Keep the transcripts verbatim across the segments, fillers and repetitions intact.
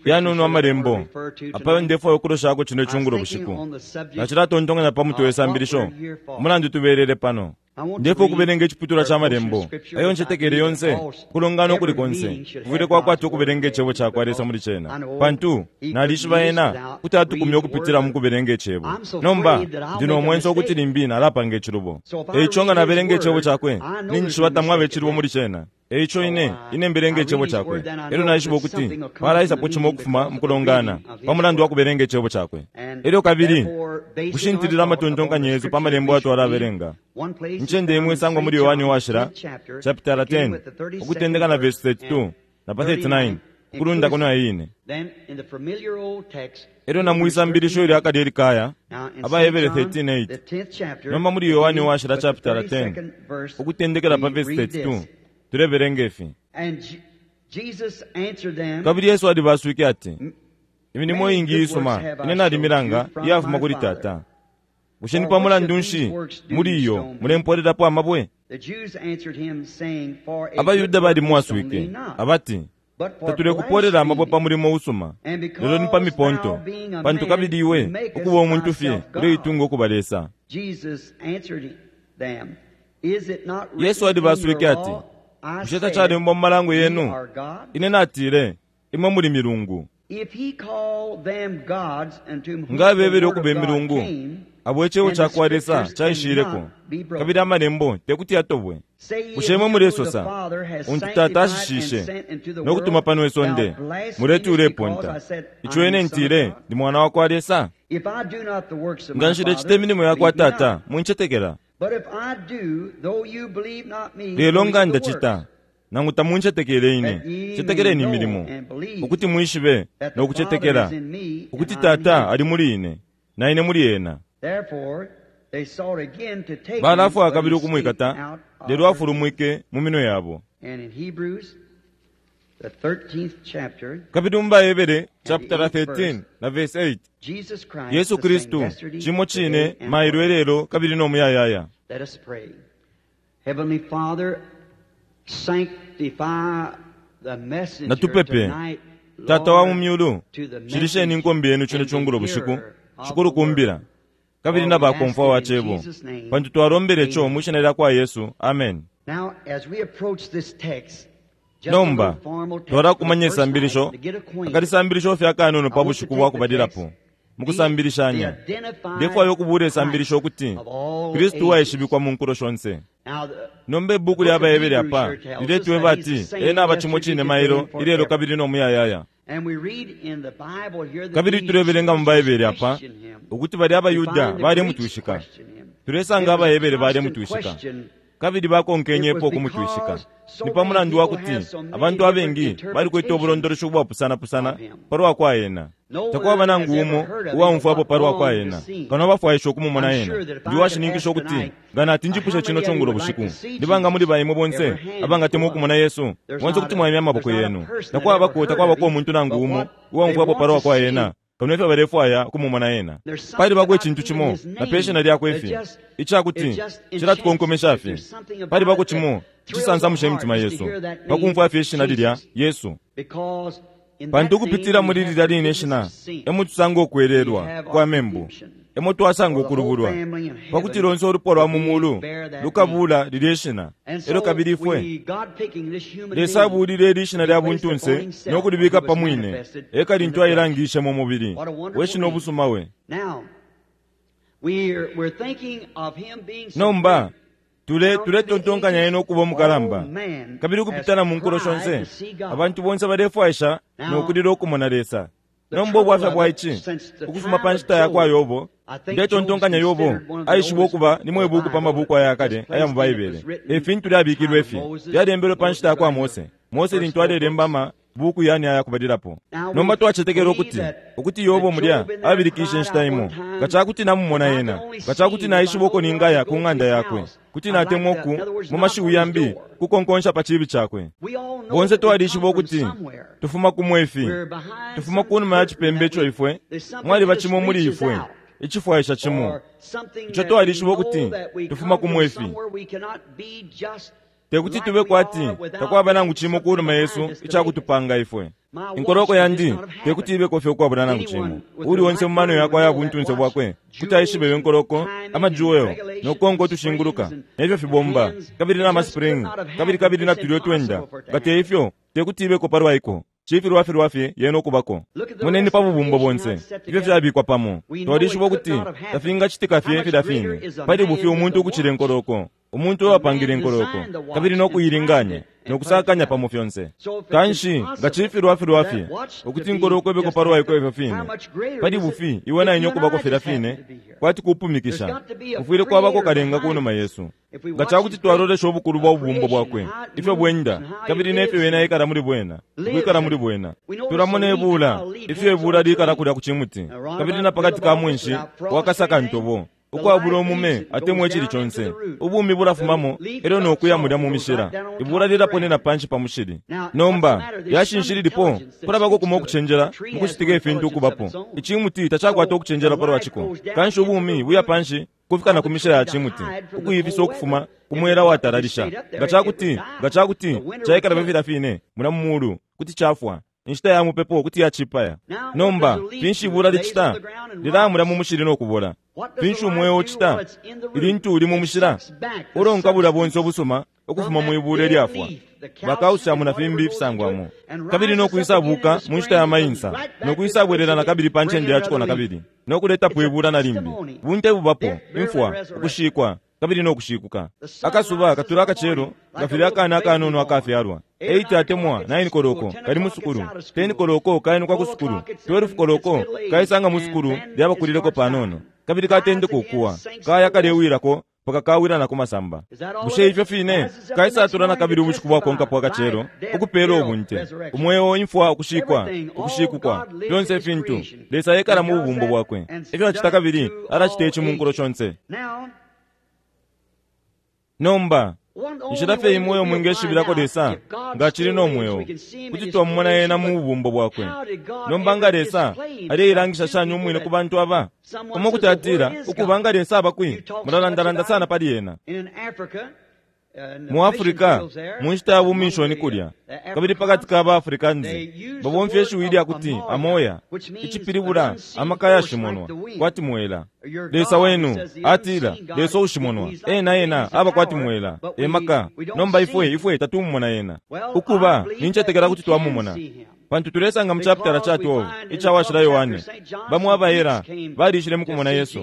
Yanono amalembo apayo ndefwayo ukuloshako chino chungulo bushiku. Nachilatontonkanya pa mutwe we sambilisho umulandu tubelele pano. Ndefo kubelenga echiputula cha malembo ayo nchetekele yonse kulongana ukuli konse kufwile kwakwata ukubelenga echebo chakwa Lesa muli chena pantu nalishiba ena kuti atukumya ukupitila mu kubelenga echebo. Nomba ndino omwenso ukuti limbi nalapanga echilubo. Eicho nga nabelenga echebo chakwe ninjishiba tamwabe echilubo muli chena. Eicho ine ine mbelenga echebo chakwe elo naishiba ukuti palaisapo chimo okufuma mukulongana pamulandu wa kubelenga echebo chakwe. Elyo kabili kushintilila amatontonkanyo yesu pa malembo atwalabelenga. Nchende imwe isangwa muli Yohane Washila chapter ten ukutendeka na verse thirty-two na pa thirty-nine ukulundako na ine. Elyo na mwisambilisho ilya akali elikaya Abahebere thirteen eight. Nomba muli Yohane Washila chapter ten ukutendekela pa verse thirty-two tulebelenga ifi. Kabili Yesu alibaswike ati, imilimo ingi isuma ine nalimilanga iyafuma kuli Tata. Bushe ni pamulandu nshi muli iyo mulempoolelapo amabwe? Abayuda balimwaswike abati, tatulekupoolela amabwe pa mulimo usuma, lelo ni pa miponto, pantu kabili iwe ukuba umuntu fye uleitunga ukuba Lesa. Yesu alibaswike ati, bushe tachalembwa mu malango yenu? Ine natile, imwe muli milungu. Nga bebele ukuba imilungu, abo echebo chakwa Lesa chaishileko, kabili amalembo tekuti yatobwe. Bushe imwe mulesosa, untu Tata ashishishe nokutuma pano isonde, muleti uleponta. Icho ine ntile ndi mwana wakwa Lesa? Nga nshilecita imilimo yakwa Tata, munchetekela. Lelo nga ndacita, nangu tamunchetekele ine, chetekeleni imilimo, ukuti mwishibe nokuchetekela, ukuti Tata ali muli ine, na ine muli ena. Balafwaya kabili ukumwikata, lelo afulumwike mu minwe yabo. Kabili mu Bahebere chapter thirteen na verse eight, Yesu Kristu chimo chine mailo elelo kabili no muyayaya. Natupepe. Tata wa mu myulu, shilisheni inkombe yenu chino chungulo bushiku, shikulu kumbila kabili na bakomfwa wa chebo, pantu twalombele cho mu shina lya kwa Yesu. Amen. Nomba twalakumanya isambilisho akalisambilisho fya kanono pa bushiku bwa kubalilapo mukusambilishanya. Ndefwayo okubula isambilisho okuti Kristu waishibikwa mu nkulo shonse. Nomba ibuku lya Bahebere apa liletweba ati ena aba chimo chine mailo ilelo kabili no muyayaya. Kabili tulebelenga mu Baibele apa ukuti bali Abayuda balemutwishika. Tulesanga Abahebere balemutwishika kabili bakonkenyepo okumutwishika. Ni pamulandu wa kuti abantu abengi balikwete obulondolosho bwapusana-pusana palwa kwa ena. Takwaba nangu umo uwaumfwapo palwa kwa ena, kano bafwaisha okumumona ena. Ndi washininkisha ukuti nga natinjipushe chino chungulo bushiku, ndibanga muli baimwe bonse abangatemwa okumona Yesu, bonse kuti mwaimya amaboko yenu. Takwabako takwabako omuntu nangu umo uwaumfwapo palwa kwa ena, kano ifyo balefwaya okumumona ena. Palibako echintu chimo na pe shina lyakwe ifi, ichakuti chilatukonkomesha fye. Palibako chimo chisansamusha imitima yesu pakumfwa fye ishina lilya Yesu. Pantu ukupitila muli lilya line ishina emo tusanga okwelelwa kwa membu, emo twasanga okulubulwa, pakuti lonse olupwa lwa mu mulu lukabula lilya ishina. Elyo kabili ifwe Lesa abulile ili ishina lya buntunse nokulibika pamwine, eka lintu ailangishe mu mubili we shina obusuma we. Nomba tule tuletontonkanya ena okuba omukalamba, kabili ukupitana mu nkulo shonse abantu bonse balefwaisha nokulila okumona Lesa. Nomba obwafya bwa ichi ukufuma pa nshita ya kwa Yobo, ndetontonkanya Yobo aishiba okuba nimwe ibuku pa mabuku aya kale aya mu Baibele. Efintu lyabikilwe ifi lyalembelwe pa nshita ya kwa Mose. Mose lintu alelemba amabuku yani aya kubalilapo. Nomba twachetekela ukuti ukuti Yobo mulya abilikishe nshita imo, nga chakuti namumona ena, nga chakuti naishiba uko ningaya ku ng'anda yakwe, kuti natemwa oku mu mashiwi yambi kukonkonsha pa chibi chakwe. Bonse twalishiba ukuti tufuma kumwe ifi, tufuma kunuma ya chipembe icho ifwe mwaliba chimo muli ifwe ichifwaisha chimo icho twalishiba ukuti tufuma kumwe ifi. Tekuti tube kwati takwaba nangu cimo kunuma yesu icakutupanga ifwe. Inkoloko yandi tekuti ibeko fye ukwabula nangu cimo. Uli onse mu mano yakwe aya buntunse bwakwe kuti aishibe iyo nkoloko, amajuwelo, nokonko tushinguluka, nefyo fibomba, kabili na maspring, kabili kabili na tulyo twenda. Nga te ifyo, tekuti ibeko palwaiko. Cifilwa filwa fye yena okubako. Moneni pa bubumbo bonse ifyo fyabikwa pamo. Twalishiba ukuti tafingacitika fye filya fine. Pali bufi umuntu ukucila inkoloko, umuntu uwapangile inkoloko, kabili nokuyilinganya nokusakanya pamo fyonse. Kanshi nga cifilwa filwa fye ukuti inkoloko ibeko palwaiko ifyo fine, pali bufi iwe na ine okubako filya fine kwati kupumikisha. Kufwile kwabako kalenga kunuma yesu. Nga cakuti twalolesha ubukulu bwa bubumbo bwakwe, ifyo bwenda, kabili nefyo ena ikala muli bwena, ukwikala muli bwena. Tulamona ibula, ifyo ibula likala kulya ku cimuti, kabili na pakati ka mwinshi wakasaka ntobo, ukwabula umume atemwa icili conse. Ubumi bulafumamo elyo nokuya mulya mu mishila. Ibula lilaponena panshi pa mushili. Nomba lyashinshi lilipo, kulabako kumo okucenjela mukucitika ifintu ukubapo. Icimuti tacakwata okucenjela palwaciko. Kanshi ubumi buya panshi kufika na ku mishila ya cimuti, ukuyifisa ukufuma kumwela watalalisha. Nga cakuti nga cakuti caikala fye filya fine muna mu mulu, kuti cafwa. Inshita ya mupepo kuti yacipaya. Nomba finshi ibula licita? Lilamula mu mushili nokubola. Finshi umweo ucita ilintu uli mu mushila? Ulonka bulya bonse ubusuma ukufuma mu ibula ilyafwa, bakausiamu na fimbi ifisangwamo, kabili nokwisabuka mu nshita ya mainsa, nokwisabwelela na kabili pa ncende yaciko na kabili, nokuletapo ibula na limbi. Bunte bubapo, imfwa, ukushikwa, kabili nokushikuka. Akasuba katula akacelo nga filya akana akanono akafyalwa. eight atemwa nine koloko kali mu sukulu, ten koloko kainuka ku sukulu, twelve koloko kaisanga mu sukulu lyabakulileko panono, kabili katendeka ukuwa, kaya kalewilako paka kawila na kumasamba. Bushe ifyo fine kaisatula na kabili ubushiku bwakonkapo akacelo ukupela ubunte, umweo, imfwa, ukushikwa, ukushikukwa, fyonse ifintu. Lesa ekala mu bubumbo bwakwe. Efyo acita kabili alacita ici mu nkulo shonse. Nomba inshila fye imwe uyo mwingeshibilako Lesa nga acili no mweo, kuti twamumona ena mu bubumbo bwakwe. Nomba nga Lesa aleilangisha shani umwine ku bantu aba? Umo kuti atila, ukuba nga Lesa aba kwi, mulalandalanda sana pali ena. Mu Afrika, mu nshita ya buminshoni kulya, kabili pakati ka ba Afrikanzi, babomfya ishiwi lya kuti amoya, icipilibula amaka yashimonwa, kwati mwela. Lesa wenu atila, Lesa ushimonwa, ena ena aba kwati mwela, emaka. Nomba ifwe ifwe tatumumona ena. Ukuba nincetekela kuti twamumona, pantu tulesanga mu chapitala ca twelve ica washila Yohane, bamo abaera balishile mukumona Yesu.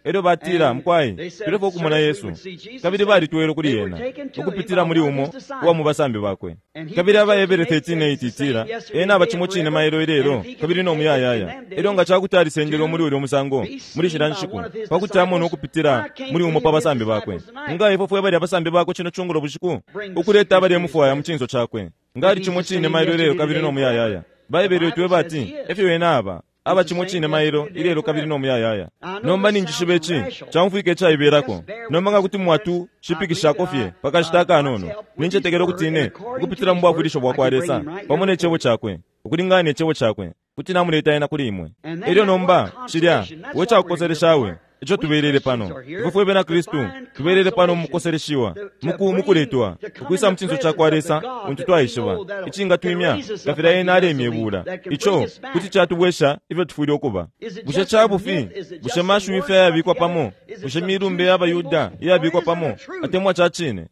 Elyo batila, mukwai, tulefo ukumona Yesu. Kabili balitwele kuli ena ukupitila muli umo uwa mu basambi bakwe. Kabili abaebere thirteen eight itila, ena aba cimo cine mailo ilelo kabili no muyayaya. Elyo nga cakuti alisendelwe muli ulya musango muli shila nshiku, pakuti amone ukupitila muli umo pa basambi bakwe. Nga ifwe fwe bali abasambi bakwe cino cungulo bushiku, ukuleta abalemufwaya mu cinso cakwe. Nga ali cimo cine mailo ilelo kabili no muyayaya. Baebere tweba ati efyo ena aba aba cimo cine mailo ilelo kabili no muyayaya. Nomba ninjishiba ici caumfwika icaibelako. Nomba nga kuti mwatu shipikishako fye pakashita akanono, nincetekela ukuti ine ukupitila mu bwafwilisho bwakwa Lesa pamo ne cebo cakwe, ukulingana ne cebo cakwe, kuti namuleta ena kuli imwe. Elyo nomba cilya we cakukoseleshawe ico tubelele pano. Ifwe fwe bena Kristu tubelele pano mukukoseleshiwa, muku mukuletwa ukwisa mu cinso cakwa Lesa untu twaishiba, icingatwimya nga filya ena alemya ibula. Ico kuti catubwesha ifyo tufwile ukuba. Bushe cabufi? Bushe mashiwi fye ayabikwa pamo? Bushe milumbe y'abayuda iyabikwa pamo? Atemwa ca cine?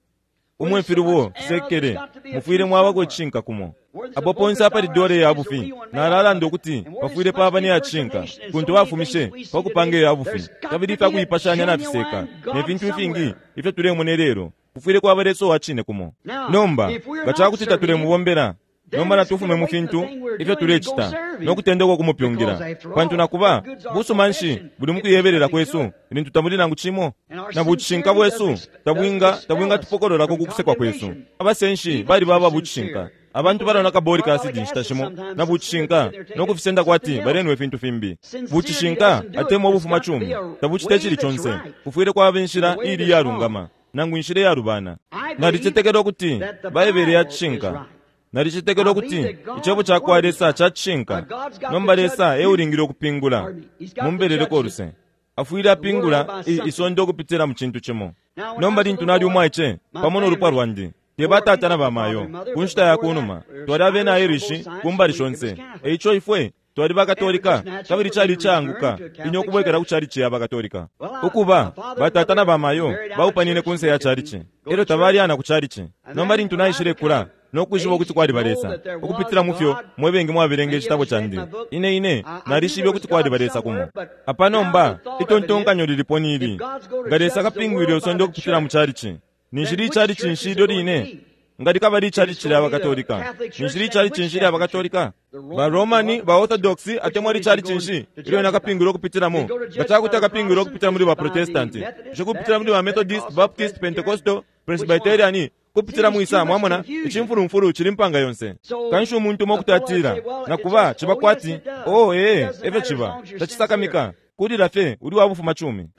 Umwe filubo fisekele, mufwile mwabako icishinka kumo. Apo ponse apali dole ya bufi, nalalanda ukuti pafwile paba ne ya cishinka, kuntu bafumishe pakupanga iya bufi, kabili ifyakuipashanya nafiseka, ne fintu ifingi ifyo tulemona lelo, kufwile kwaba Lesa uwa cine kumo. Nomba nga cakuti tatulemubombela, nomba natufume mu fintu ifyo tulecita nokutendeka okumupyungila, pantu nakuba busuma nshi buli mukuyebelela kwesu ilintu tamuli nangu cimo? Na bucishinka bwesu tabwinga tabwingatupokololako ku kusekwa kwesu. Abasenshi bali baba bucishinka. Abantu balona kaboli ka asidi nshita shimo na bucishinka nokufisenda kwati balenwa ifintu fimbi. Bucishinka atemwa ubufuma cumi tabucita icili conse. Kufwile kwaba inshila ili iyalungama nangu inshila iyalubana. Nalicetekela ukuti Baibele ya cishinka. Nalicetekela ukuti icebo cakwa Lesa ca cishinka. Nomba Lesa eulingile ukupingula. Mumbeleleko uluse. Afwile apingula isonde ukupitila mu cintu cimo. Nomba lintu nali umwaice pamo no lupwa lwandi, Te batata na bamayo ku nshita ya kunuma twali abena Irish ku mbali shonse. Eico ifwe twali bakatolika, kabili cali icaanguka ine ukubwekela ku chalichi ya bakatolika. Ukuba batata na bamayo baupanine kunse ya chalichi, elyo tabalyana ku chalichi. Nomba lintu naishile kula no kwishiba ukuti kwali balesa ukupitila mufyo mwebengi mwabelenga icitabo candi, ine ine nalishibe ukuti kwali balesa kumo. Apa nomba itontonkanyo lilipo nili, nga Lesa akapingwile usonde ukupitila mu chalichi, ninshili ichalichi nshi ilyo line? Nga likaba lichalichi lya bakatolika, ninshili ichalichi nshi lya bakatolika? Ba Romani, ba Orthodox, atemwa lichalichi nshi ilyo nakapingwile ukupitilamo? Nga cakuti akapingwile ukupitila muli ba Protestanti, bushe kupitila muli ba Methodist, Baptist, Pentecostal, Presbyterian, kupitila mwisa? Mwamona icimfulumfulu cili mpanga yonse. Kanshi umuntu umo kuti atila, nakuba ciba kwati oh ee efyo ciba, tacisakamika kulila fye uli wa bufuma cumi.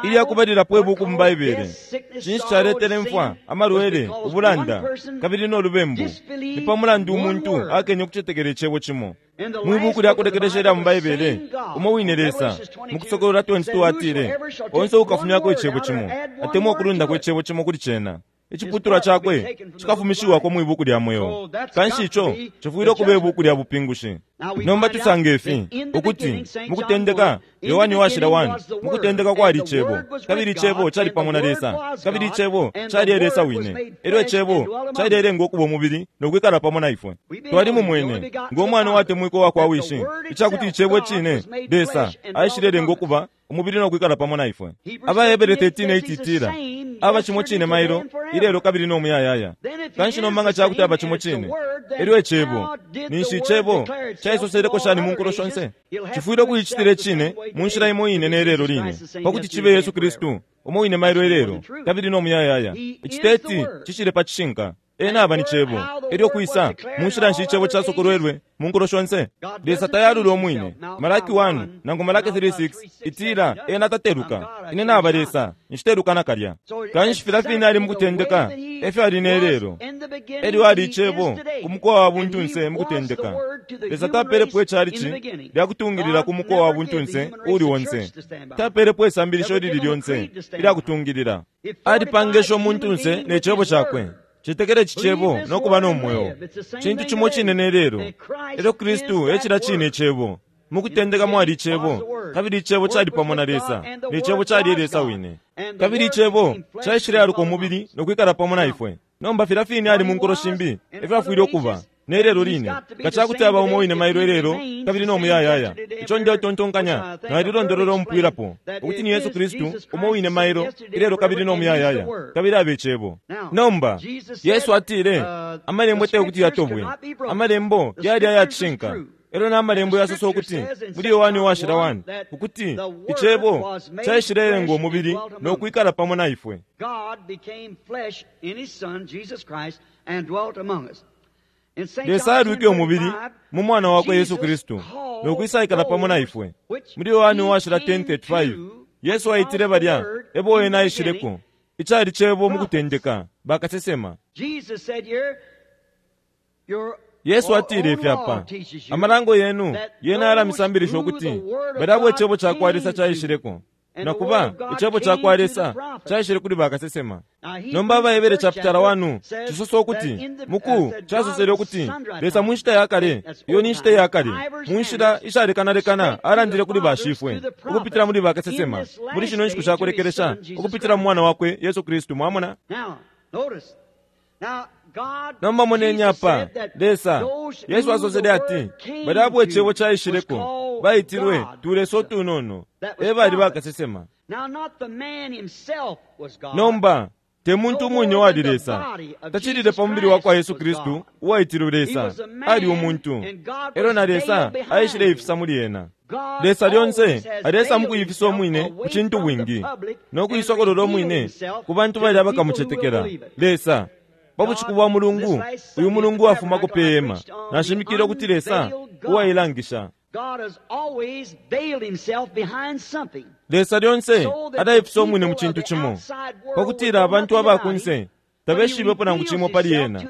Ilya kubalilapo ibuku mu Baibele, cinshi caletele mfwa, amalwele, ubulanda kabili no lubembu? Ni pa mulandu umuntu akenye ukucetekela icebo cimo. Mwi buku lya kulekelesha lya mu Baibele, umo wine Lesa mu Kusokolola twenty-two atile, onse ukafumyako icebo cimo atemwa ukulundako icebo cimo kuli cena, iciputulwa cakwe cikafumishiwako mwi buku lya mweo. Kanshi ico cifwile ukuba ibuku lya bupingushi. Nomba tusanga ifi ukuti mukutendeka, Yohani washila one, mukutendeka kwali icebo, kabili icebo cali pamo na Lesa, kabili icebo cali Lesa wine. Elyo icebo calilenga ukuba umubili no kwikala pamo na ifwe. Twali mumwene ngo mwana watemwikwa wa kwa wishi, icakuti icebo cine Lesa aishilelenga ukuba umubili no kwikala pamo na ifwe. Abahebere thirteen eight itila, aba cimo cine mailo ilelo kabili no muyayaya. Kanshi nomba nga cakuti aba cimo cine, elyo icebo ninshi icebo caisoseleko shani mu nkulo shonse? Cifwile ukuicitila icine mu nshila imo ine ne lelo line, pakuti cibe Yesu Kristu umo wine mailo ilelo kabili no muyayaya. Iciteti cishile pa cishinka. Ena aba ni cebo. Elyo kwisa mu nshila nshi icebo casokolwelwe mu nkulo shonse? Lesa tayalula umwine. Malaki one nangu Malaki three six itila ena tateluka. Ine naba Lesa, nshiteluka nakalya. Kanshi filya fine ali mukutendeka, efyo ali ne lelo. Elyo ali icebo ku mukowa wa buntunse mukutendeka. Lesa tapelepo icalichi lya kutungilila ku mukowa wa buntunse uli onse. Tapelepo isambilisho lili lyonse ilya kutungilila. Alipangesha umuntunse ne cebo cakwe. Cetekele cicebo no kuba no mweo. Cintu cimo cine ne lelo. Elyo Kristu ecila cine icebo. Mukutendeka mwali icebo, kabili icebo cali pamo na Lesa, ne cebo cali Lesa wine. Kabili icebo caishilealuka umubili no kwikala pamo na ifwe. Nomba filya fine ali mu nkulo shimbi, efyo afwile ukuba ne lelo line. Nga cakuti aba umo wine mailo ilelo kabili no muyayaya. Ico ndetontonkanya nalilondolola umupwilapo ukuti ni Yesu Kristu umo wine mailo ilelo kabili no muyayaya, kabili abe icebo. Nomba Yesu atile amalembo te kuti yatobwe, amalembo yali ayacishinka. Elyo na amalembo yasosa ukuti muli Yohani washila one ukuti icebo caishilelenga umubili no kwikala pamo na ifwe. Lesa alwike umubili mu mwana wakwe Yesu Kristu no kwisaikala pamo na ifwe. Muli Yohani washila ten thirty-five Yesu aitile balya ebo ena aishileko, icali cebo mukutendeka bakasesema. Yesu atile ifi apa, amalango yenu yena yalamisambilisha ukuti balya abo icebo cakwa Lesa caishileko, nakuba icebo cakwa Lesa caishile kuli bakasesema. Nomba Abahebere chapter one cisosa ukuti muku casosele ukuti Lesa mu nshita ya kale, iyo ni nshita ya kale, mu nshila ishalekanalekana alandile kuli bashifwe ukupitila muli bakasesema, muli shino nshiku shakulekelesha ukupitila mu mwana wakwe Yesu Kristu. Mwamona? Nomba moneni apa, Lesa Yesu asosele ati balya abo icebo caishileko baitilwe tulesa utunono, e bali bakasesema. Nomba te muntu umwine wali Lesa, tacilile pa mubili wakwa Yesu Kristu uwaitilwe Lesa, ali umuntu, elyo na Lesa aishile ifisa muli ena. Lesa lyonse alesa mukuyifisa umwine ku cintu bwingi no kuisokolola umwine ku bantu bali abakamucetekela. Lesa pa bushiku bwa mulungu, uyu mulungu wafumako pe hema, nashimikile ukuti Lesa uwailangisha. Lesa lyonse adaifisa umwine mu cintu cimo, pakutila abantu abakunse tabeshibepo nangu cimo pali ena.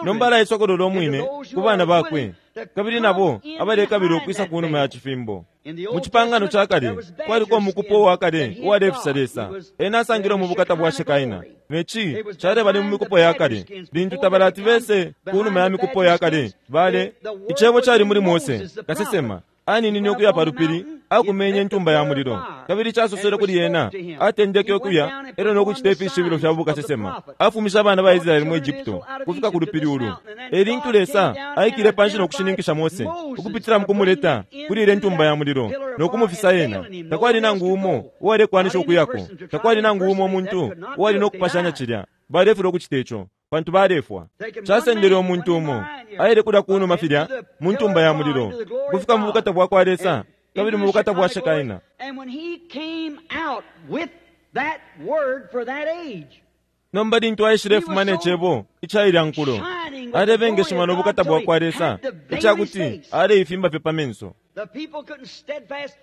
Nomba alaisokolola umwine ku bana bakwe, kabili nabo abalekabila ukwisa ku numa ya cifimbo. Mu cipangano ca kale kwaliko umukupo uwa kale uwalefisa Lesa. Ena asangilwe mu bukata bwa Shekaina, ne ci caleba ni mu mikupo ya kale. Lintu tabalati bese ku numa ya mikupo ya kale bale, icebo cali muli Mose kasesema aninine ukuya pa lupili, akumenye intumba ya mulilo, kabili casosele kuli ena. Atendeke ukuya elyo nokucita ifishibilo fya bukasesema, afumisha abana ba Israeli mu Egypto kufika ku lupili ulu. Elintu Lesa aikile panshi nokushininkisha Mose ukupitila mu kumuleta kuli ile ntumba ya mulilo nokumufisa ena. Takwali nangu umo uwalekwanisha ukuyako, takwali nangu umo muntu uwali nokupashanya cilya. Balefilwa ukucita ico pantu balefwa. Casendele umuntu umo aile kulya kunuma filya mu ntumba ya mulilo kufika mu bukata bwa kwa Lesa kabili mu bukata bwa Shekaina. Nomba lintu aishilefuma ne cebo icailya nkulo, alebengeshima no bukata bwa kwa Lesa icakuti aleifimba fye pa menso.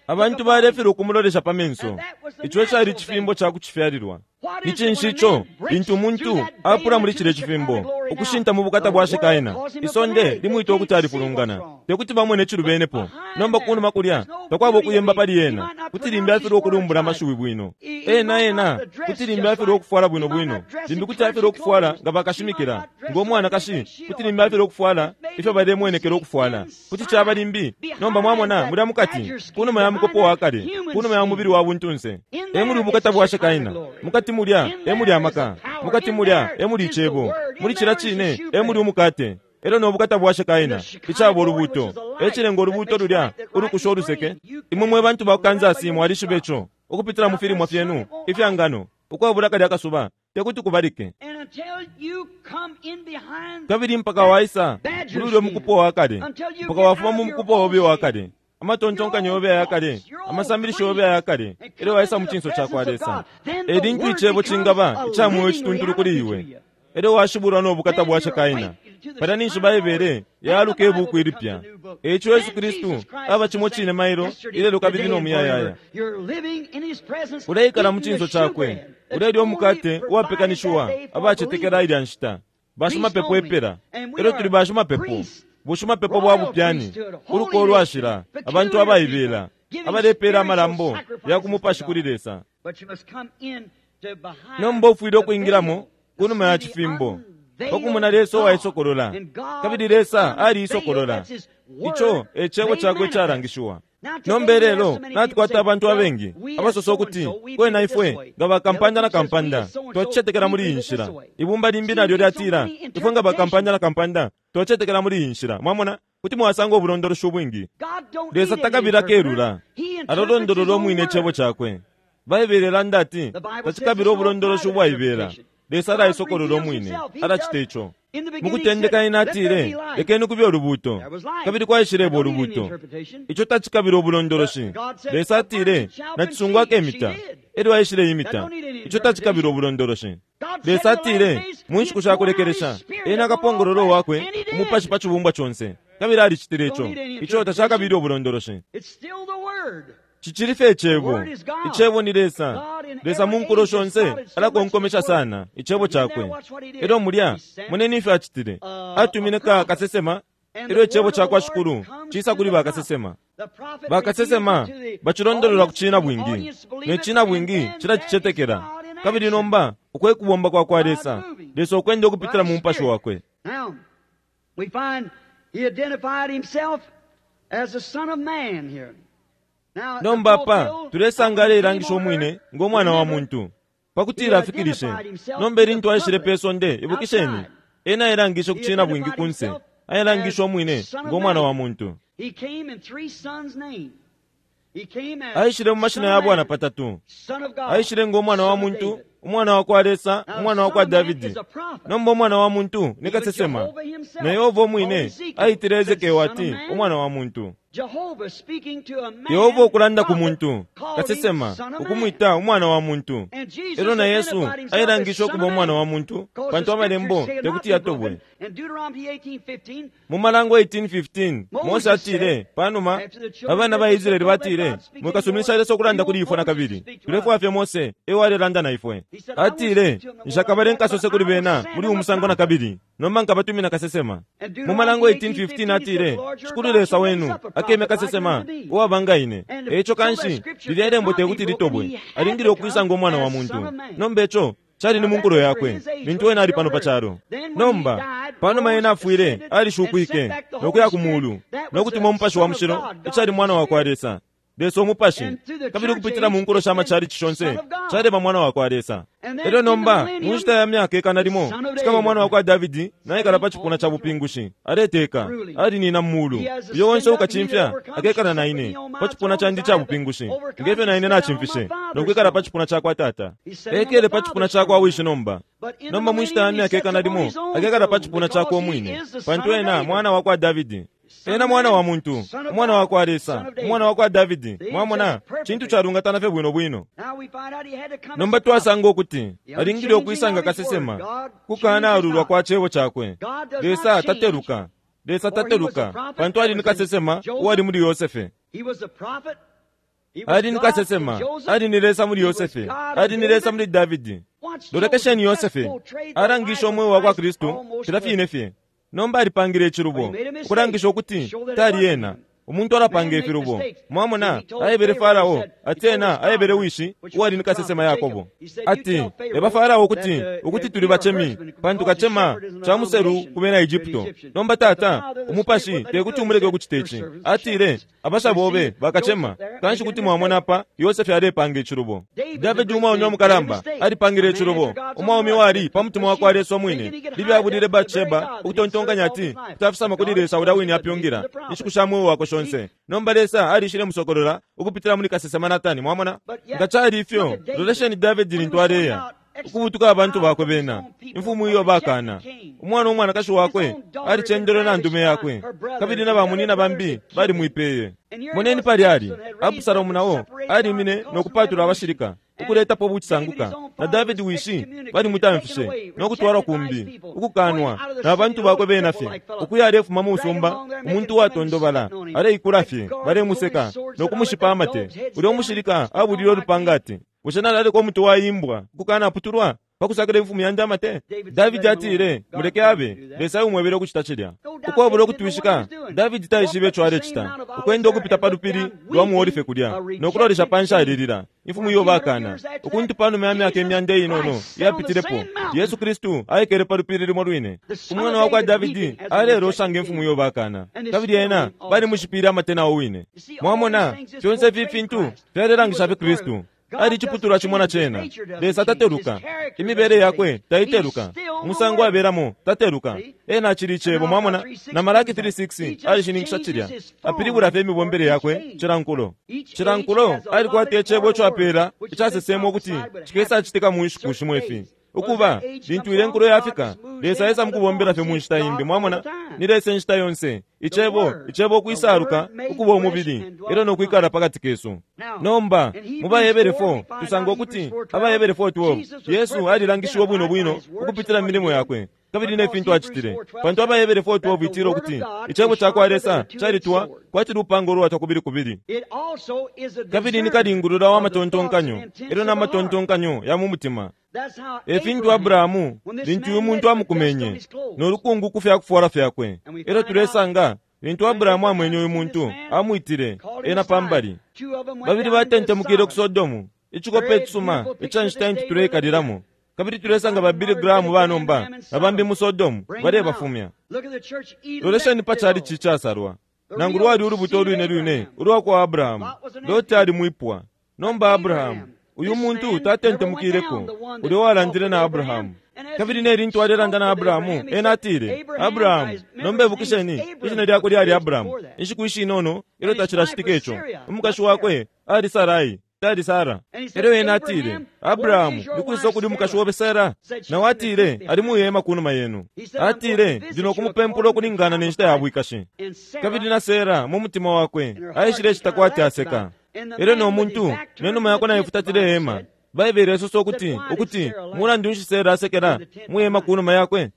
Abantu balefilwa ukumulolesha pa menso. Ico cali cifimbo ca kucifyalilwa. Ni cinshi ico lintu umuntu apula muli cile cifimbo ukushinta mu bukata bwa Shekaina, isonde limwita ukuti alifulungana, tekuti bamwene cilubenepo. Nomba kunuma kulya takwaba ukuyemba pali ena, kuti limbi afilwa ukulumbula amashiwi bwino. Ena ena kuti limbi afilwa ukufwala bwino bwino, limbi kuti afilwa ukufwala nga bakashimikila ngo mwanakashi, kuti limbi afilwa ukufwala ifyo balemwenekela ukufwala, kuti caba limbi. Nomba mwamona mulya mukati kunuma ya mukopo wa kale, kunuma ya mubili wa buntunse, emuli ubukata bwa Shekaina. Mukati mulya emuli amaka, mukati mulya emuli icebo, muli cila cine emuli umukate elyo nobukata bwa Shekaina icaba ulubuto. Ecilenga ulubuto lulya ulukusha uluseke. Imwe mwe bantu ba ku Kansas mwalishiba ico ukupitila mu filimwa fyenu ifya ngano ukwabula kalya kasuba tekuti kubalike. Kabili mpaka waisa muli ulya mukupo wa kale, mpaka wafuma mu mukupo obe wa kale, amatontonkanyo yobe aya kale, amasambilisho yobe aya kale, elyo waisa mu cinso ca kwa Lesa. Elintu icebo cingaba ica moyo cituntulu kuli iwe, elyo washibulwa no bukata bwa Shekaina. Palya ninshi Baibele yaluka ibuku ilipya. Eico Yesu Kristu aba cimo cine mailo ilelo kabili no muyayaya. Uleikala mu cinso cakwe, ulelya umukate uwapekanishiwa abacetekela ilya nshita. Bashimapepo epela, elyo tuli bashimapepo, bushimapepo bwa bupyani, uluko ulwashila, abantu abaibela abalepeela amalambo ya kumupashi kuli Lesa. Nomba ufwile ukwingilamo kunuma ya cifimbo pakumona Lesa uwaisokolola, kabili Lesa aliisokolola. Ico e cebo cakwe calangishiwa. Nomba lelo natukwata abantu abengi abasosa ukuti kwena ifwe nga bakampanda na kampanda twacicetekela muli iyi nshila. Ibumba limbi nalyo lyatila ifwe nga bakampanda na kampanda twacicetekela muli iyi nshila. Mwamona kuti mwasanga ubulondoloshi ubwingi. Lesa takabila kelula, alolondolola umwine icebo cakwe. Baibele ilanda ati tacikabila ubulondoloshi ubwaibela. Lesa alaisokolola umwine, alacita ico. Mukutendeka ena atile lekeni kube ulubuto, kabili kwaishileba ulubuto. Ico tacikabila ubulondoloshi. Lesa atile nacisungu akemita, elyo aishile imita. Ico tacikabila ubulondoloshi. Lesa atile mu nshiku sha kulekelesha ena akapongolola wakwe umupashi pa cibumbwa conse, kabili alicitile ico. Ico tacakabila ubulondoloshi. Cicili fye icebo. Icebo ni Lesa. Lesa mu nkulo shonse alakonkomesha sana icebo cakwe. Elyo mulya moneni ifyo acitile. Atumine ka kasesema, elyo icebo ca kwa Shikulu cisa kuli bakasesema. Bakasesema bacilondolola ku cina bwingi, ne cina bwingi cilacicetekela. Kabili nomba ukwe kubomba kwa kwa Lesa, Lesa ukwenda ukupitila mu mupashi wakwe. Nomba apa tulesanga aleilangisha umwine ngo mwana wa muntu pakutila afikilishe. Nomba ilintu aishile pe sonde, ibukisheni, ena ailangishe ku cina bwingi kunse, ailangishe umwine ngo mwana wa muntu. Aishile mu mashina ya bwana patatu. Aishile ngo mwana wa muntu, umwana wa kwa Lesa, umwana wa kwa Davidi. Nomba umwana wa muntu ni kasesema, na Yehova umwine aitile Ezekiel ati umwana wa muntu. Yehova ukulanda ku muntu kasesema ukumwita umwana wa muntu. Elyo na Yesu ailangisha ukuba umwana wa muntu pantu amalembo tekuti yatobwe. Mu Malango eighteen fifteen Mose atile panuma abana ba Israeli batile mwikasuminisha Lesa ukulanda kuli ifwe na kabili, tulefwaya fye Mose ewe alelanda na ifwe. Atile nshakabale nkasose kuli bena muli umusango na kabili, nomba nkabatumina kasesema. Mu Malango eighteen fifteen atile Shikulu Lesa wenu Akemya kasesema uwaba nga ine. Eico kanshi lilya lembo tekuti litobwe, alingile ukwisa ngo mwana wa muntu. Nomba ico cali ni mu nkulo yakwe lintu ena ali pano pa calo. Nomba panuma ena afwile, alishukwike nokuya ku mulu nokutuma Umupashi wa Mushilo, icali mwana wa kwa Lesa, Lesa Umupashi, kabili ukupitila mu nkulo sha machalichi shonse caleba mwana wa kwa Lesa. Elyo nomba mu nshita ya myaka ikana limo cikaba mwana wa kwa Davidi naikala pa cipuna ca bupingushi, aleteka, alinina mu mulu. Uyo onse ukacimfya akekala na ine pa cipuna candi ca bupingushi, ngefyo na ine nacimfishe nokwikala pa cipuna ca kwa Tata. Ekele pa cipuna ca kwa wishi nomba. Nomba mu nshita ya myaka ikana limo akekala pa cipuna cakwe umwine, pantu ena mwana wa kwa Davidi. Ena mwana wa muntu, umwana wa kwa Lesa, umwana wa kwa Davidi. Mwamona, cintu calungatana fye bwino bwino. Nomba twasanga ukuti alingile ukwisanga kasesema kukana alulwa kwa cebo cakwe. Lesa tateluka, Lesa tateluka, pantu ali ni kasesema uwali muli Yosefe. Ali ni kasesema, ali ni Lesa muli Yosefe, ali ni Lesa muli Davidi. Lolekesheni Yosefe alangisha umweo wa kwa Kristu cila fine fye. Nomba alipangile icilubo ukulangisha ukuti tali ena. Umuntu alapanga ifilubo. Mwamona, aebele Farao ati ena aebele wishi uwali ni kasesema Yakobo ati eba Farao ukuti ukuti tuli bacemi, pantu kacema ca muselu ku bena Egypto. Nomba tata umupashi tekuti umuleke ukucita ici. Atile abasha bobe bakacema. Kanshi kuti mwamona apa Yosefe alepanga icilubo. Davidi umwaume umukalamba alipangile icilubo. Umwaume wali pa mutima wa kwa Lesa umwine libyabulile Batsheba ukutontonkanya ati kutafisama kuli Lesa ulya wine apyungila inshiku sha mweo wakwe shonse. Nomba Lesa alishile musokolola ukupitila muli kasesema Natani. Mwamona, nga cali ifyo, lolesheni Davidi lintu aleya ukubutuka abantu bakwe bena, imfumu iyo bakana. Umwana umwanakashi wakwe alicendelwe na ndume yakwe, kabili na bamunina bambi balimwipeye. Moneni pali ali Abusalomu nao alimine nokupatula abashilika ukuletapo bucisanguka, na Davidi wishi balimutamfishe nokutwalwa kumbi ukukanwa na bantu bakwe bena fye. Ukuya alefuma mu musumba, umuntu watondobala aleikula fye, balemuseka nokumushipa amate. Ulya umushilika abulile olupanga ati, bushe nalaleka umuti waimbwa ukukanaputulwa pakusakila imfumu yandi amate? Davidi atile, muleke abe, Lesa umwebele ukucita cilya. Ukwabula ukutwishika, Davidi taishibe ico alecita, ukwenda ukupita pa lupili lwa muolife kulya nokulolesha panshi alilila imfumu iyo bakana. Ukuntu panuma ya myaka imyanda inono yapitilepo, Yesu Kristu aikele pa lupili limo lwine. Umwana wa kwa Davidi alelosha imfumu iyo bakana, kabili ena balimushipile amate nawo wine. Mwamona, fyonse ifi fintu fyalelangisha fye Kristu. Ali iciputulwa cimo na cena. Lesa tateluka, imibele yakwe taiteluka, umusango abelamo tateluka. Ena acili icebo. Mwamona, na Malaki three six alishininkisha cilya, apilibula fye imibombele yakwe cilankulo. Cilankulo alikwata icebo ico apela icasesemwa ukuti cikesa citika mu nshiku shimo ifi. Ukuba lintu ile nkulo yafika, Lesa esa mukubombela fye mu nshita imbi. Mwamona, ni Lesa inshita yonse. Icebo, icebo ukwisaluka ukuba umubili elyo nokwikala pakati kesu. Nomba mu Bahebere four tusanga ukuti Abahebere four twelve Yesu alilangishiwe bwino bwino ukupitila mu milimo yakwe kabili ne fintu acitile. Pantu Abahebere four twelve itila ukuti icebo ca kwa Lesa calitwa kwati lupanga ulwatwa kubili kubili, kabili ni kalingulula wa matontonkanyo elyo na matontonkanyo ya mu mutima. E fintu Abrahamu lintu uyu muntu amukumenye nolukungu ku fyakufuala fyakwe. Elyo tulesanga lintu Abrahamu amwenye uyu muntu amwitile ena pambali. Babili batentemukile ku Sodomu, icikope icisuma ica nshita intu tuleikalilamo. Kabili tulesanga ba Billy Graham banomba na bambi mu Sodomu balebafumya. Lolesheni pa chalichi icasalwa, nangu lwali ulubuto lwine lwine ulwa kwa Abrahamu. Loti ali mwipwa. Nomba Abrahamu uyu muntu tatentemukileko ulya walandile na Abrahamu. Kabili ne lintu alelanda na Abrahamu, ena atile, Abrahamu, nomba ibukisheni ishina lyakwe lyali Abrahamu. Inshiku ishinono ilyo tacilacitika ico, umukashi wakwe ali Sarai, tali Sara. Elyo ena atile, Abrahamu, nikwisa ukuli umukashi wobe Sara? Nawe atile, ali muhema kunuma yenu. Atile, ndi nokumupempula ukulingana ne nshita ya bwikashi. Kabili na Sara mu mutima wakwe aishile cita kwati aseka. Elyo no muntu nenuma yakwe naifutatile hema. Baibele isosa ukuti ukuti mulandu nshi Sara asekela muhema kunuma yakwe?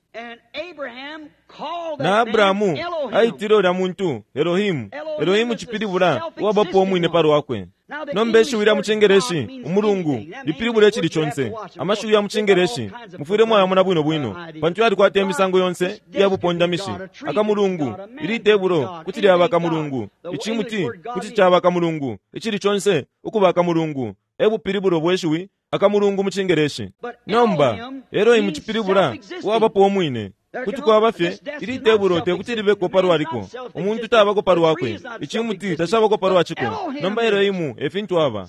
Na Abrahamu aitile ulya muntu Elohimu. Elohimu cipilibula uwabapo umwine palwakwe. Nomba ishiwi lya mu Cingeleshi umulungu lipilibula icili conse. Amashiwi ya mu Cingeleshi mufwile mwayamona bwino bwino, pantu yalikwata imisango yonse iya bupondamishi. Akamulungu, ili tebulo kuti lyaba akamulungu, icimuti kuti caba akamulungu, icili conse ukuba akamulungu. E bupilibulo bwe shiwi akamulungu mu Cingeleshi. Nomba Elohimu cipilibula uwabapo umwine. Kuti kwaba fye ili tebulo te kuti libeko palwaliko. Umuntu tabako palwakwe, icimuti tacabako palwaciko. Nomba Elohimu e fintu aba,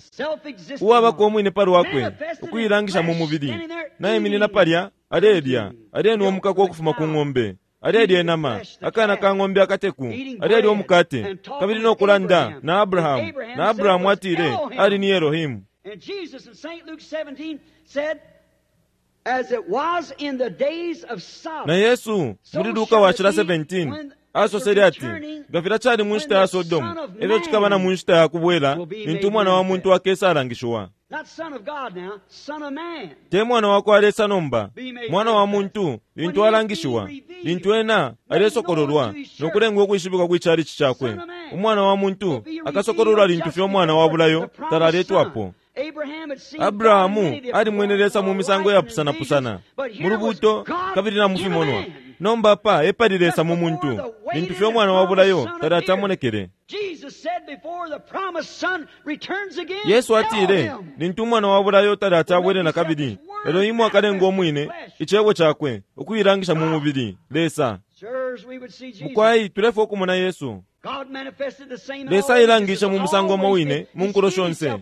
uwabako umwine palwakwe, ukuilangisha mu mubili. Naiminina palya alelya, alenwa umukaka ukufuma ku ng'ombe, alelya inama, akana ka ng'ombe akateku, alelya umukate, kabili no kulanda na Abrahamu. Na Abrahamu atile ali ni Elohimu. And Jesus in Saint Luke seventeen said, as it was in the days of Sodom, na Yesu muli Luka wa cila seventeen asosele ati, nga filya cali mu nshita ya Sodomu, efyo cikaba na mu nshita ya kubwela lintu umwana wa muntu akesa alangishiwa. Te mwana wa kwa Lesa nomba, mwana wa muntu lintu alangishiwa, lintu ena alesokololwa no kulengwa ukwishibikwa kwicalici cakwe. Umwana wa muntu akasokololwa lintu fye umwana wa bulayo talaletwapo. Abrahamu alimwene Lesa mu misango yapusanapusana, mu lubuto kabili na mu fimonwa. Nomba apa epali Lesa mu muntu, lintu fye umwana wa bulayo talatamonekele. Yesu atile, lintu umwana wa bulayo talatabwele na kabili, Elohimu akalenga umwine icebo cakwe ukuilangisha mu mubili, Lesa. Mukwai tulefwa ukumona Yesu. Lesa ailangishe mu musango umo wine mu nkulo shonse.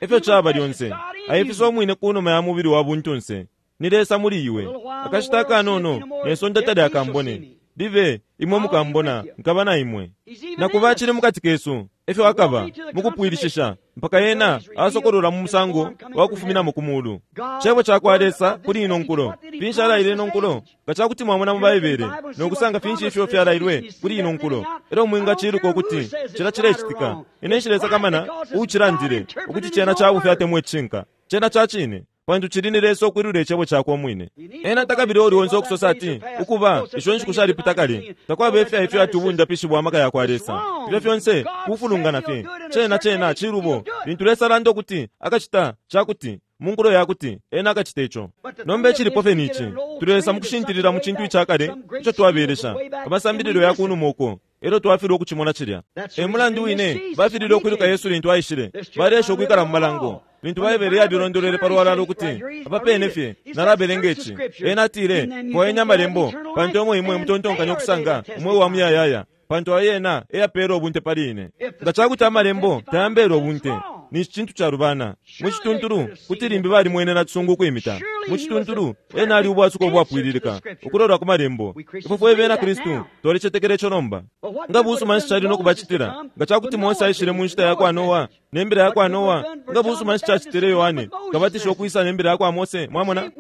Efyo caba lyonse, aifisa umwine ku numa ya mubili wa buntunse. Ni Lesa muli iwe. Akashita akanono ne sonde talyakambone. Live imwe mukambona, nkaba na imwe. Na kuba cili mukati kesu, efyo akaba mukupwilishisha mpaka yena asokolola mu musango wa kufuminamo ku mulu. Cebo ca kwa Lesa kuli ino nkulo. Finshi alaile ino nkulo? Nga ca kuti mwamona mu Baibele no kusanga finshi ifyo fyalailwe kuli ino nkulo, elyo mwingaciluka ukuti cila cilecitika. Ine nshilesakamana uucilandile ukuti cena ca bufi atemwa icishinka. Cena ca cine, pantu cili ni Lesa ukwilula icebo cakwe umwine. Ena takabile uli onse ukusosa ati ukuba isho nshiku shalipita kale, takwaba ifya ifyo ati ubundapishi bwa maka ya kwa Lesa. Ifyo fyonse kufulungana fye. Cena cena cilubo lintu Lesa alanda ukuti akacita cakuti mu nkulo yakuti ena akacita ico. Nomba icilipo fye ni ici, tulesa mu kushintilila mu cintu icakale ico twabelesha, amasambililo ya kunuma uko, elyo twafilwa ukucimona cilya. E mulandu wine bafilile ukwiluka Yesu lintu aishile, balesha ukwikala mu malango. Lintu Baibele yalilondolwele palwalala ukuti apapene fye nalabelenga ici. Ena atile, fwayeni amalembo, pantu emo imwe mutontonkanya ukusanga umweo wa muyayaya, pantu ayena eyapeela ubunte pali ine. Nga cakuti amalembo tayambeela ubunte, ni cintu calubana. Mu cituntulu kuti limbi balimwene na cisungu ukwimita. Mu cituntulu ena ali ubwasuko ubwapwililika ukulolwa ku malembo. Ifwe fwe bena Kristu twalicetekela ico nomba. Nga busuma nshi cali no kubacitila nga cakuti Mose aishile mu nshita ya kwa Noa ne mbila ya kwa Noa? Nga busuma nshi cacitile Yohane kabatisha ukwisa ne mbila ya kwa Mose? Mwamona,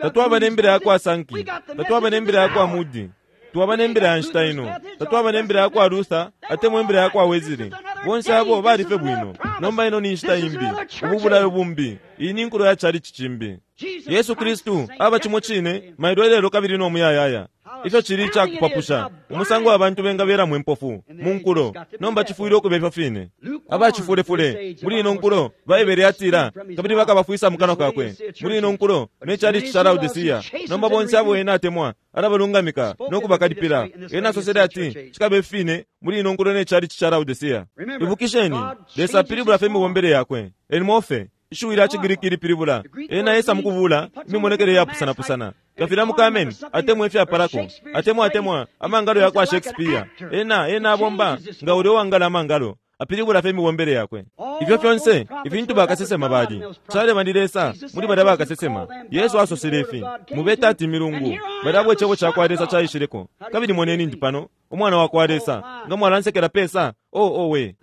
tatwaba ne mbila ya kwa Sanki, tatwaba ne mbila ya kwa Mudi, twaba ne mbila ya nshita ino, tatwaba ne mbila ya kwa Luther atemwa imbila ya kwa Wesley. Bonse abo balife bwino. Nomba ino ni nshita imbi, ubu bulayo bumbi, iyi ni nkulo ya chalichi cimbi. Yesu Kristu aba cimo cine mailo lelo kabili no muyayaya. Ifyo cili icakupapusha umusango abantu bengaberamo impofu mu nkulo. Nomba cifwile ukuba ifyo fine. Abacifulefule muli ino nkulo Baibele yatila, kabili bakabafwisa mu kanwa kakwe. Muli ino nkulo ne chalichi ca Laodicea. Nomba bonse abo ena atemwa alabalungamika no kubakalipila. Ena asosele ati cikabe fine muli ino nkulo ne chalichi ca Laodicea. Ibukisheni, Lesa apilibula fye imibombele yakwe. Elimofe ishiwi lya Cigiriki lipilibula ena esa mukubula imimonekele yapusanapusana. Kafila mukameni atemwa ifyapalako, atemwa atemwa amangalo ya kwa Shakespeare. Ena ena abomba nga uli uwangala amangalo, apilibula fye imibombele yakwe. Ifyo fyonse ifintu bakasesema bali caleba ni Lesa muli balya bakasesema. Yesu asosele ifi, mubeta ati milungu balya abo icebo ca kwa Lesa caishileko. Kabili moneni ndi pano umwana wa kwa Lesa, nga mwalansekela pesa. Oh, oh we,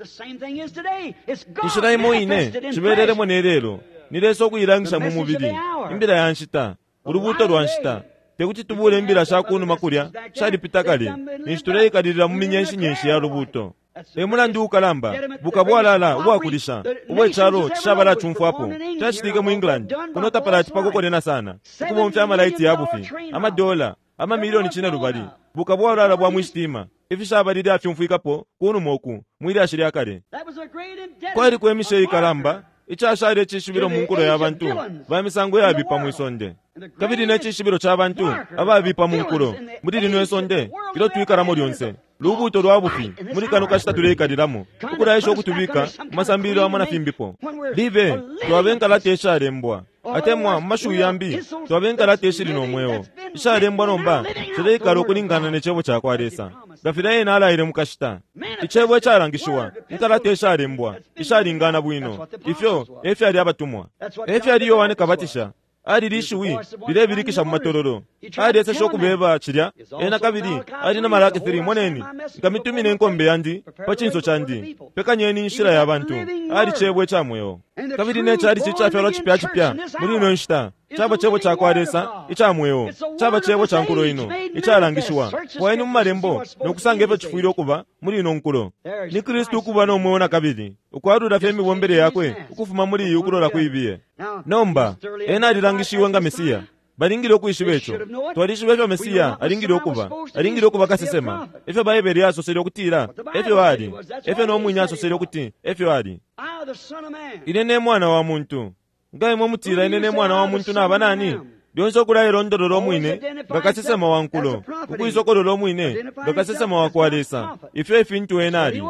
inshila imo ine cibelelemo ne lelo ni Lesa ukuilangisha mu mubili, imbila ya nshita, ulubuto lwa nshita. Tekuti tubule imbila sha kunuma kulya shalipita kale, ninshi tuleikalilila mu minyenshi-nyenshi ya lubuto. E mulandu ukalamba bukabwalala ubwakulisha ubwecalo cishabala cumfwapo cacitike mu England kuno tapalati pakukonena sana ukubomfya amalaiti ya bufi, amadola amamilioni cine lubali. Bukabwalala bwa mwishitima ifishabalile afyumfwikapo kunuma uku mwilyashi lya kale. Kwaliko imishe ikalamba icashale icishibilo mu nkulo ya bantu ba misango yabipa mwisonde, kabili necishibilo ca bantu ababipa mu nkulo muli lino isonde ilyo twikalamo lyonse lubuto lwa bufi muli kano kashita tuleikalilamo ukulaisha ukutubika mu masambililo amo na fimbipo. Libe twabe nkalata ishalembwa atemwa mu mashiwi yambi twabe nkalata ishili no mweo ishalembwa nomba shileikala ukulingana ne cebo ca kwa Lesa nga filya ena alaile mu kashita. Icebo icalangishiwa inkalata ishalembwa ishalingana bwino ifyo efyali abatumwa efyali Yohane Kabatisha ali lishiwi lilebilikisha mu matololo aliesesha ukubeba cilya ena kabili ali na Malaki three moneni nkamitumine inkombe yandi pa cinso candi pekanyeni inshila ya bantu ali cebo ica mweo. Kabili ne cali cicafyalwa cipya cipya muli ino nshita caba cebo ca kwa Lesa ica mweo caba cebo ca nkulo ino icalangishiwa fwayeni mu malembo nokusanga ifyo cifwile ukuba muli ino nkulo. Ni Kristu ukuba no mweo na kabili ukwalula fye imibombele yakwe ukufuma muli iyi ukulola kuibiye. Nomba ena alilangishiwe nga Mesiya. Balingile ukwishiba ico. Twalishiba ifyo Mesiya alingile ukuba. Alingile ukuba kasesema. Ifyo Baibele yasosele ukutila efyo ali. Efyo nomwine asosele ukuti efyo ali. Ine ne mwana wa muntu. Nga imwe mutila ine ne mwana wa muntu naba nani? Lyonse ukulailondolola omwine nga kasesema wa nkulo, ukuisokolola omwine nga kasesema wa kwa Lesa. Ifyo ifintu ena ali.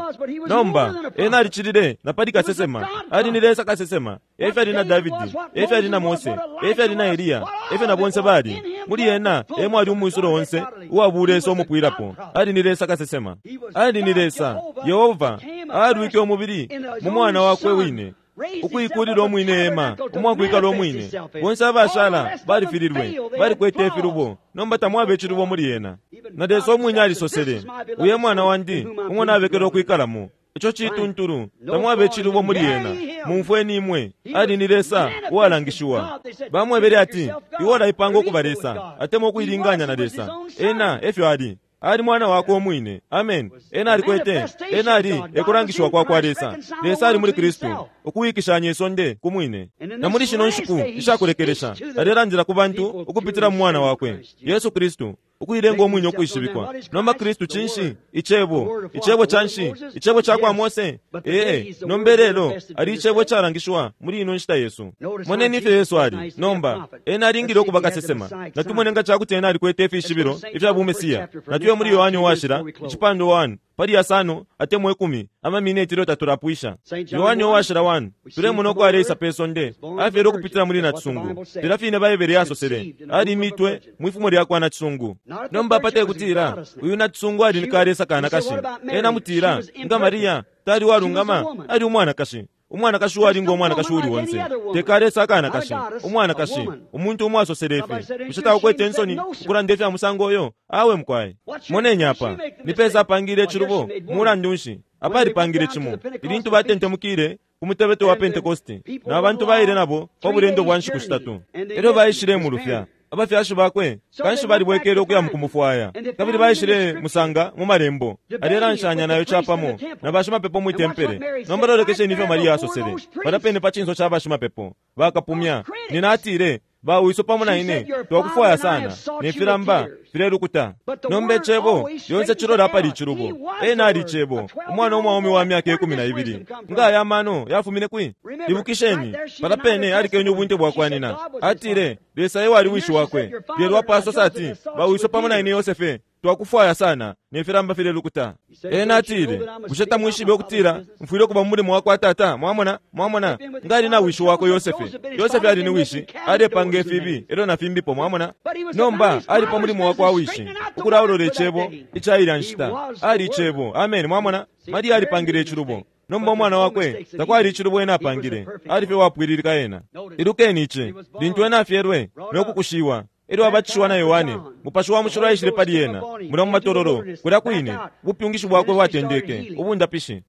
Nomba ena alicilile na pali kasesema. Ali ni Lesa kasesema. Efyo ali na Davidi, efyo ali na Mose, efyo ali na Eliya, efyo na bonse bali. Muli ena emo ali umwisulo onse uwabulesa omupwilapo. Ali ni Lesa kasesema. Ali ni Lesa Yehova alwike umubili mu mwana wakwe wine ukuikulila omwine ema umwakwikala omwine. Bonse abashala balifililwe balikwete ifilubo nomba tamwabe icilubo muli ena. Na Lesa omwine alisosele uye mwana wandi umwana abekele okwikalamo ico cituntulu tamwabe icilubo muli ena. Mumfweni imwe ali ni Lesa uwalangishiwa. Bamwebele ati iwe olaipanga ukuba Lesa atemwa ukuilinganya na Lesa. Ena efyo ali. Ali mwana wakwe omwine. Amen. Ena alikwete ena ali ekulangishiwa kwa kwa Lesa. Lesa ali muli Kristu ukuwikishanya isonde ku mwine. Na muli shino nshiku ishakulekelesha alelandila ku bantu ukupitila mu mwana wakwe Yesu Kristu ukuilenga omwine ukwishibikwa. Nomba Kristu cinshi? Icebo. Icebo canshi? Icebo ca kwa Mose? Ee, nomba lelo ali icebo calangishiwa muli ino nshita Yesu. Moneni ifyo Yesu ali. Nomba ena alingile ukuba kasesema. Natumone nga cakuti ena alikwete ifishibilo ifya bumesiya. Natuye muli Yohane Uwashila icipando one pali yasano atemwa ikumi amamineti ilyo tatulapwisha. Yohane Uwashila one tulemona uko aleisa pe sonde afyele ukupitila muli nacisungu filya fine Baibele yasosele ali imitwe mwifumo lya kwa nacisungu. Nomba pate kutila uyu nacisungu ali ni kalesa kanakashi. Ena mutila nga Maria tali walungama ali umwanakashi. Umwanakashi uwalinga umwanakashi uli onse tekalesa akanakashi umwanakashi umuntu umwe asosele ifi bushe takukwete insoni ukulanda ifya musango oyo awe mukwaye. Moneni apa ni pesa apangile icilubo mulandu nshi apa alipangile cimo ilintu batentemukile ku mutebeto wa Pentekoste na bantu baile nabo pa bulendo bwa nshiku shitatu elyo baishile mulufya abafyashi bakwe kanshi balibwekele ukuya mukumufwaya kabili baishile musanga mu malembo alelanshanya nayo capamo na bashimapepo mwi tempele. Nomba lolekesheni ifyo Maria asosele palapene pa cinso ca bashimapepo bakapumya nina atile bawiso pamo na ine twakufwaya sana ne filamba filelukuta. Nomba icebo lyonse cilola apali icilubo. Ena ali icebo umwana umwaume wa myaka ikumi na ibili nga aya mano yafumine kwi? Ibukisheni palapene alikenye ubunte bwa kwa nina atile Lesa ewe ali wishi wakwe. Lelo apo asosa ati bawiso pamo na ine Yosefe twakufwaya sana ne filamba filelukuta. Ena atile bushe tamwishibe ukutila mfwile ukuba mu mulimo wa kwa tata? Mwamona mwamona nga ali na wishi wakwe Yosefe. Yosefe ali ni wishi alepanga ifibi elyo na fimbipo mwamona. Nomba ali pa mulimo wa kwa wishi ukulaolola icebo icailya nshita ali icebo. Amen. Mwamona Maria alipangile icilubo. Nomba umwana wakwe takwali icilubo ena apangile ali fye wapwililika ena. Ilukeni ici lintu ena afyelwe nokukushiwa elyo abatishiwa na Yohane mupashi wa mushilo aishile pali ena mula mu matololo kulya kwine ubupyungishi bwakwe bwatendeke ubundapishi.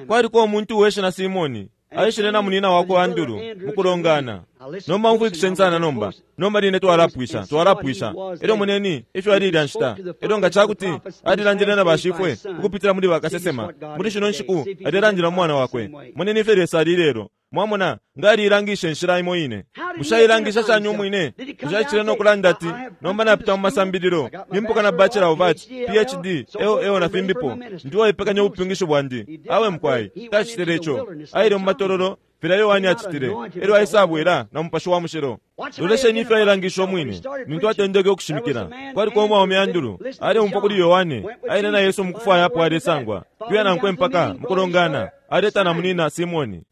Kwaliko umuntu uweshina Simoni aishile na munina wakwe Andulu mukulongana. Nomba umfwikisheni sana nomba nomba line twalapwisha twalapwisha elyo moneni ifyo alilya nshita elyo nga cakuti alilandile na bashifwe ukupitila muli bakasesema muli shino nshiku alilandila mu mwana wakwe. Moneni ifyo Lesa ali lelo Mwamona nga aliilangishe inshila imo ine. Bushe shani umwine? Bushe aishile no kulanda ati nomba napita mu masambililo, nimpuka na Bachelor of Arts, P H D, L L na fimbipo, ndiwo ipekanya ubupyungishi bwandi. Awe mkwai, tacitile ico. Aile mu matololo filya Yohane acitile, elyo aisabwela na Mupashi wa Mushilo. Lolesheni ifyo ailangisha umwine. Nintu atendeke ukushimikila, kwaliko umwaume Andulu aleumfwa kuli Yohane, aile na Yesu mukufwaya apo alesangwa, kuya nankwe mpaka mukulongana, aleta na munina Simoni.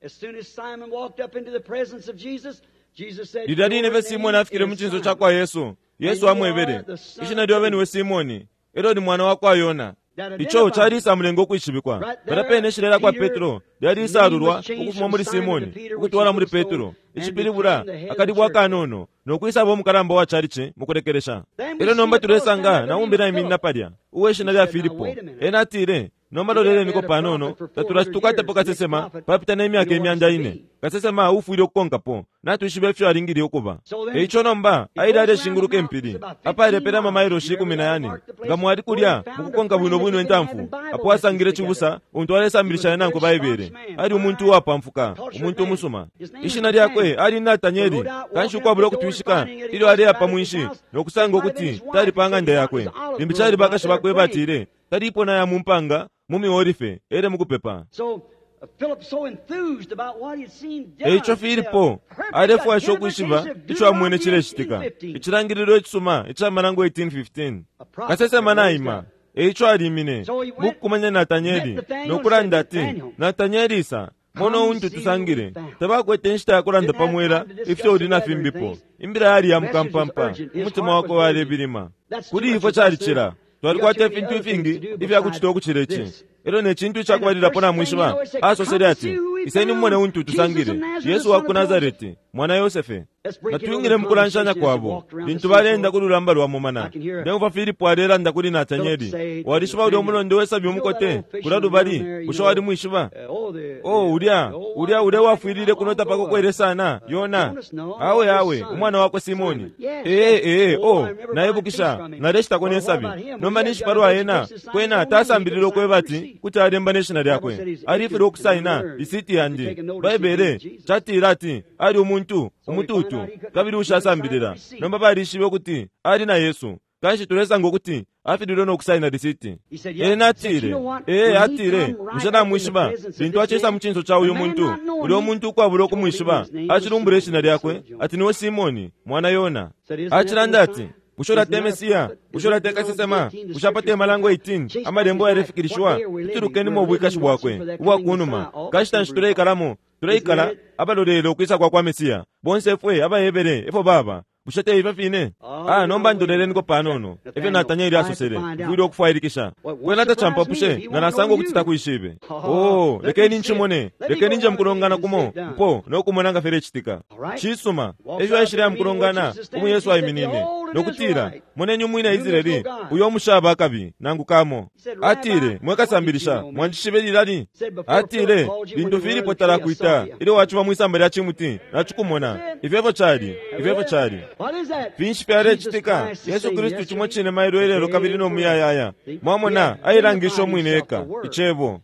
Lilya line fye Simoni afikile mu cinso ca kwa Yesu, Yesu amwebele, ishina lyobe niwe Simoni, elyo ni mwana wa kwa Yona. Ico calisa mulengo ukwishibikwa. Palya pene ishina kwa Petro lyalisalulwa ukufuma muli Simoni ukutwala muli Petro, icipilibula akalibwa akanono nokwisaba umukalamba wa chalichi mukulekelesha. Elyo nomba tulesanga naumbi naiminina palya uwe ishina lya Filipo. Ena atile, nomba loleleniko panono tatulatukwatapo kasesema papita n'emyaka emyanda ine. Kasesema ufwile ukukonkapo natwishiba ifyo alingile ukuba. Eico nomba aile aleshinguluka empili apalepela amamailoshi ikumi na yane nga mwali kulya mukukonka bwino bwino entamfu apo asangile cibusa untu alesambilishana nankwe Baibele. Ali umuntu uwapamfuka, umuntu umusuma. Ishina lyakwe ali Natanieli. Kanshi ukwabula ukutwishika ilyo aleya pa mwinshi nokusanga ukuti tali pa ng'anda yakwe. Limbi cali bakashi bakwe batile talipo naya mu mpanga mu miolife ele mukupepa. Eico Filipo alefwasha ukwishiba ico amwene cilecitika, icilangililo icisuma ica Malango eighteen fifteen. Kasesema naima. Eico alimine mukukumanya Natanieli nokulanda ati, Natanieli isa mono untu tusangile. Tabakwete inshita ya kulanda pamwela ifyo uli na fimbipo. Imbila yali ya mukampampa, umutima wakwe walebilima. Kuli ifwe calicila twalikwata ifintu ifingi ifyakucita ukucila ici. Elyo ne cintu icakubalilapo namwishiba, asosele ati, iseni mumone untu tusangile, Yesu wa ku Nazareti, mwana Yosefe. Natwingile mukulanshanya kwabo lintu balenda ku lulamba lwa mumana. Ndemva Filipo alelanda kuli Natanieli, walishiba ulya umulondo wesabi umukote kulya lubali, bushe walimwishiba? Oh, ulya ulya ulya wafwilile kunota pakokwele sana Yona. Awe awe umwana wakwe Simoni. Ee ee oh, naibukisha naleshitako nesabi. Nomba ninshi palwa ena kwena tasambilile ukweba ati kuti alemba neshina lyakwe. Alifile ukusaina isiti yandi. Baibele catila ati ali umuntu umututu kabili ushasambilila. Nomba balishibe ukuti ali na Yesu. Kanshi tulesanga ukuti afililwe nokusaina risiti. Ena atile, ee atile, bushe namwishiba lintu acisa mu cinso ca uyu muntu, ulya umuntu ukwabula ukumwishiba acilumbula ishina lyakwe ati niwe Simoni mwana Yona. Acilanda ati, bushe ulate Mesiya? Bushe ulate kasesema? Bushe apate Malango eighteen amalembo yalefikilishiwa? Tutulukenimo ubwikashi bwakwe ubwakunuma. Kanshi nshi tuleikalamo? Tuleikala abalolele ukwisa kwa kwa Mesiya. Bonse efwe abayebele efo baba. Bushe te ifyo fine? Ah, nomba ndoleleniko panono efyo Natanieli asosele, mfwile ukufwailikisha. Kwena tacampapushe nga nasanga ukuti takwishibe. Oh, lekeni nchimone, lekeni nje mukulongana kumo mpo nokumona nga filecitika. Cisuma efyo aishile ya mukulongana umu Yesu aiminine nokutila, moneni umwina Israeli uyo omushaba akabi nangu kamo. Atile, mwekasambilisha mwanjishibe lilali? Atile, lintu Filipo talakwita ilyo waciba mwisamba lya cimuti nacikumona. Ifyo efyo cali, ifyo efyo cali. Finshi fyalecitika? Yesu Kristu cimo cine mailo ilelo kabili no muyayaya. Mwamona ailangisha umwine eka icebo.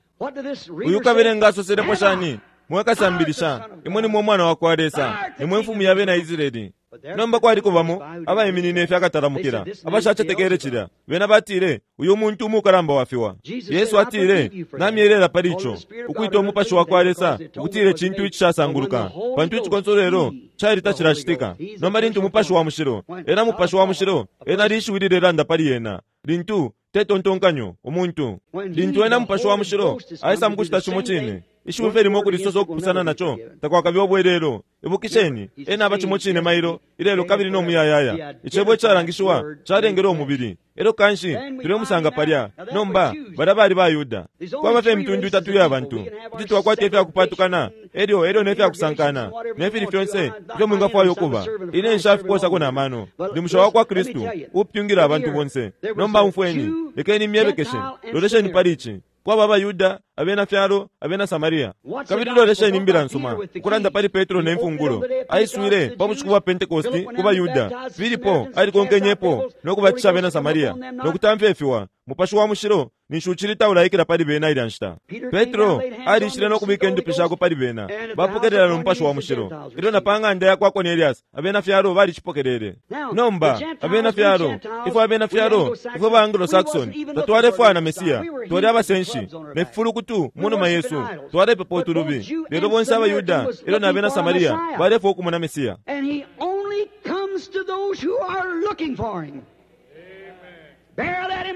Uyu kabelenga asoselepo shani? Mwekasambilisha imwe nimwe umwana wa kwa Lesa, nimwe mfumu ya bena Israeli. Nomba kwaliko bamo abaiminine fyakatalamukila abashacetekele cilya. Bena batile, uyu muntu umukalamba wafiwa. Yesu atile, namyelela pali ico ukwita umupashi wa kwa Lesa ukutile cintu icishasanguluka, pantu icikonsolelo cali tacilacitika. Nomba lintu umupashi wa mushilo, ena mupashi wa mushilo, ena lishiwi lilelanda pali ena lintu tetontonkanyo umuntu. Lintu ena mupashi wa mushilo aisa mukucita cimo cine, ishiwi fye limo kulisosa okupusana naco takwakabe obwelelo. Ibukisheni, ena aba cimo cine mailo ilelo kabili no muyayaya. Icebo icalangishiwa calengele umubili. Elyo kanshi tulemusanga palya. Nomba balya bali Bayuda. Kwaba fye imitundu itatu ya bantu. Kuti twakwata ifyakupatukana elyo elyo nefyakusankana nefili fyonse ifyo mwingafwaya ukuba. Ine nshafikosako na mano. Ndi musha wa kwa Kristu upyungila abantu bonse. Nomba umfweni, lekeni myebekeshe. Lolesheni pali ici. Kwaba Abayuda abena fyalo, abena Samaria. Kabili lolesheni imbila nsuma, ukulanda pali Petro ne mfungulo. Aiswile pa bushiku bwa Pentecosti ku baYuda. Filipo alikonkenyepo no kubatisha abena Samaria no kutamfya ifiwa. Mupashi wa mushilo ninshi uchili taulaikila pali bena ilya nshita. Petro alishile no kubika indupi shakwe pali bena, bapokelela no mupashi wa mushilo. Ilyo na pa ng'anda ya kwa Cornelius, abena fyalo balicipokelele. Nomba abena fyalo, ifwe abena fyalo, ifwe ba Anglo-Saxon, tatwalefwaya na Mesiya, twali abasenshi ne fifulukutu mu numa yesu, twalepepa utulubi. Lelo bonse abaYuda ilyo na abena Samaria balefwaya ukumona Mesiya. And he only comes to those who are looking for him.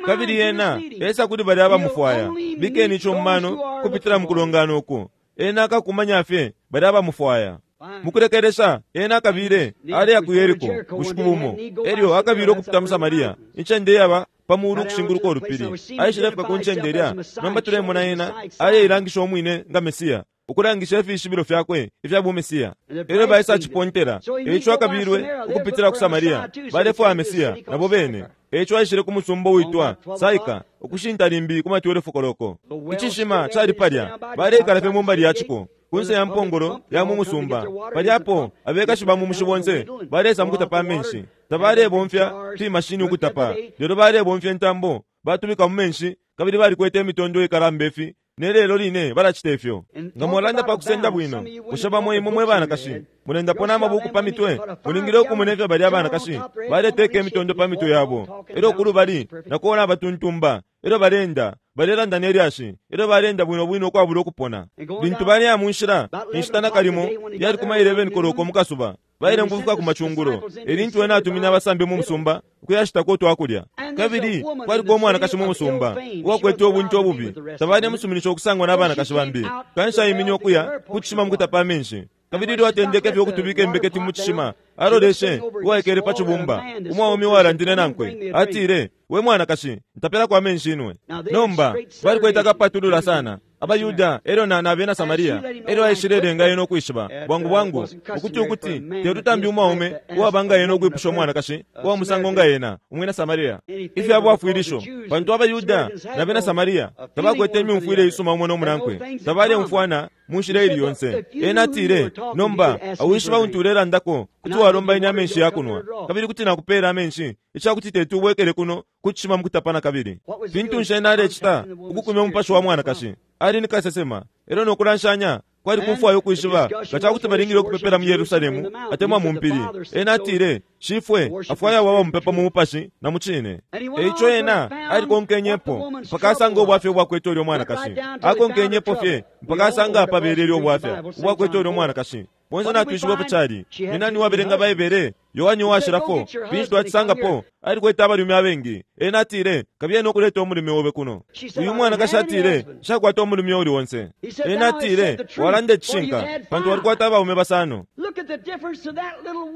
Kabili ena esa kuli bali abamufwaya. Bikeni ico mumano kupitila mukulongana uku. Ena akakumanya fye bali abamufwaya. Mukulekelesha ena akabile aleya ku Yeriko bushiku bumo. Elyo akabile ukupita mu Samaria, incende yaba pa mulu ukushinguluka ulupili. Aishile fika ku ncende ilya. Nomba tulemona ena aleilangisha umwine nga Mesiya, ukulangisha ifishibilo fyakwe ifya bumesiya. Elyo baisa cipontela, eico akabilwe ukupitila ku Samaria. Balefwaya Mesiya nabo bene. Eico aishile ku musumba uitwa Saika, ukushinta limbi ku matwelefu koloko. Icishima cali palya, baleikala fye mu mbali ya ciko, kunse ya mpongolo ya mu musumba. Palyapo abekashi ba mu mushi bonse balesa mukutapa amenshi. Tabalebomfya fimashini ukutapa, lelo balebomfya intambo batubika mu menshi, kabili balikwete imitondo ikalamba ifi. Ne lelo line balacita ifyo. Nga mwalanda pa kusenda bwino, bushe bamo imwe mwe banakashi mulendapo n'amabuku pa mitwe? Mulingile ukumona ifyo bali abanakashi baleteka imitondo pa mitwe yabo. Elyo kulubali nakuona abatuntumba, elyo balenda balelanda ne lyashi, elyo balenda bwino bwino ukwabula ukupona. Lintu baleya mu nshila, inshita nakalimo yali kuma eleven koloko mu kasuba, baile mukufika ku macungulo. Elintu ena atumine abasambi mu musumba ukuyashitako utwakulya. Kabili kwaliko umwanakashi mu musumba uwakwete ubuntu obubi. Tabalemusuminisha ukusangwa n'abanakashi bambi. Kanshi aimine ukuya ku cishima mukutapa amenshi. Kabili ilyo atendeke fye ukutubika imbeketi mu cishima, aloleshe uwaikele pa cibumba, umwaume uwalandile nankwe. Atile, we mwanakashi, ntapelako amenshi inwe. Nomba balikwete akapatulula sana abaYuda elyo na abena Samaria. Elyo aishile ena ukwishiba bwangu bwangu ukuti ukuti telutambi umwaume uwabanga ena ukwipusha umwanakashi uwa musango nga ena umwina Samaria ifya bwafwilisho, pantu abaYuda na abena Samaria tabakwete imyumfwile isuma umo n'omunankwe, tabalemfwana mu nshila ili yonse. Ena atile, nomba awishiba untu ulelandako kuti walomba ine amenshi yakunwa, kabili kuti nakupeela amenshi icakuti tetu ubwekele kuno kucishima mukutapana kabili. Fintu nshi ena alecita ukukumya umupashi wa mwanakashi? Ali ni kasesema. Elyo nokulanshanya kwali kufwaya ukwishiba nga cakuti balingile ukupepela mu Yerusalemu atemwa mu mpili. Ena atile, shifwe afwaya waba mupepa mu mupashi na mu cine. Eico ena alikonkenyepo mpaka asanga ubwafya ubwakwete ulyo mwanakashi. Akonkenyepo fye mpaka asanga apabelele ubwafya ubwakwete ulyo mwanakashi. Bonse natwishibapo cali ni nani wabelenga Baibele? Yohani uwashilafo. Finshi twacisangapo? Alikwete abalume abengi. Ena atile, kabiye nokuleta umulume obe kuno. Uyu mwanakashi atile, nshakwata umulume uli onse. Ena atile, walanda icishinka, pantu walikwata abaume basano.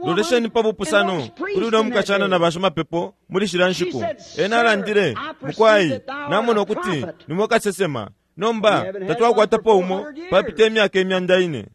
Lolesheni pa bupusano kuli uno mukashana na bashimapepo muli shila nshiku. Ena alandile, mukwai, namona ukuti nimwe kasesema. Nomba tatwakwatapo umo papita imyaka imyanda ine.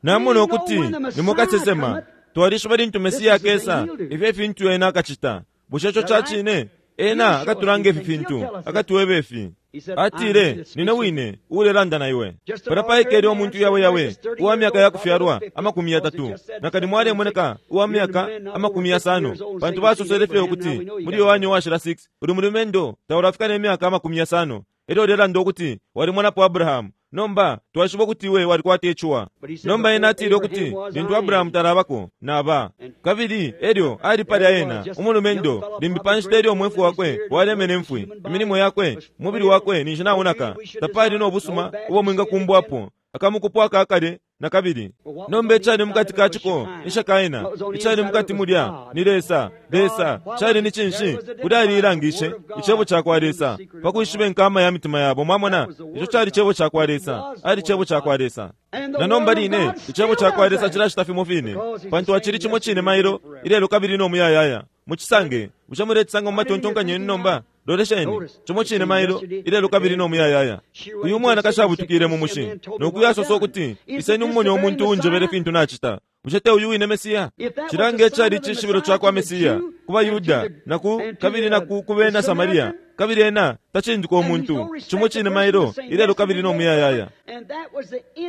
Namona ukuti nimwe kasesema. Twalishiba lintu Mesiya akesa, ifyo fintu ena akacita. Bushe ico ca cine? Ena akatulanga ifi fintu, akatuweba ifi. Atile, nine wine uulelanda na iwe. Pala paikele umuntu yawe yawe uwa myaka yakufyalwa amakumi yatatu, nakalimo alemoneka uwa myaka amakumi yasano, pantu basosele fye ukuti muli Yohani uwashila six uli mulumendo taulafika ne myaka amakumi yasano. Elyo ulelanda ukuti walimonapo Abrahamu. Nomba twashiba ukuti iwe walikwata icuwa. Nomba ena atile ukuti lintu Abrahamu talabako naba. Kabili elyo ali palya ena umulumendo limbi pa nshita elyo umwefu wakwe walemene mfwi, imilimo yakwe, umubili wakwe ninshi naunaka, tapali no busuma ubo mwingakumbwapo, akamukupo akakale na kabili. Nomba icali mukati ka ciko nishakaena, icali mukati mulya ni Lesa. Lesa cali ni cinshi? Kuli aliilangishe icebo ca kwa Lesa pa kwishiba inkama ya mitima yabo. Mwamona, ico cali cebo ca kwa Lesa, ali cebo ca kwa Lesa. Na nomba line icebo ca kwa Lesa cilacita fimo fine, pantu acili cimo cine mailo ilelo kabili no muyayaya. Mucisange, bushe mulecisanga mu matontonkanyo yenu nomba? Lolesheni, cimo cine mailo ilelo kabili no muyayaya. Uyu mwanakashi abutukile mu mushi nokuyasosa ukuti, iseni umumone umuntu unjebele fintu nacita. Bushe te uyu wine Mesiya? Cilanga icali icishibilo ca kwa Mesiya ku baYuda na ku kabili na ku kubena Samaria. Kabili ena tacindika umuntu. Cimo cine mailo ilelo kabili no muyayaya.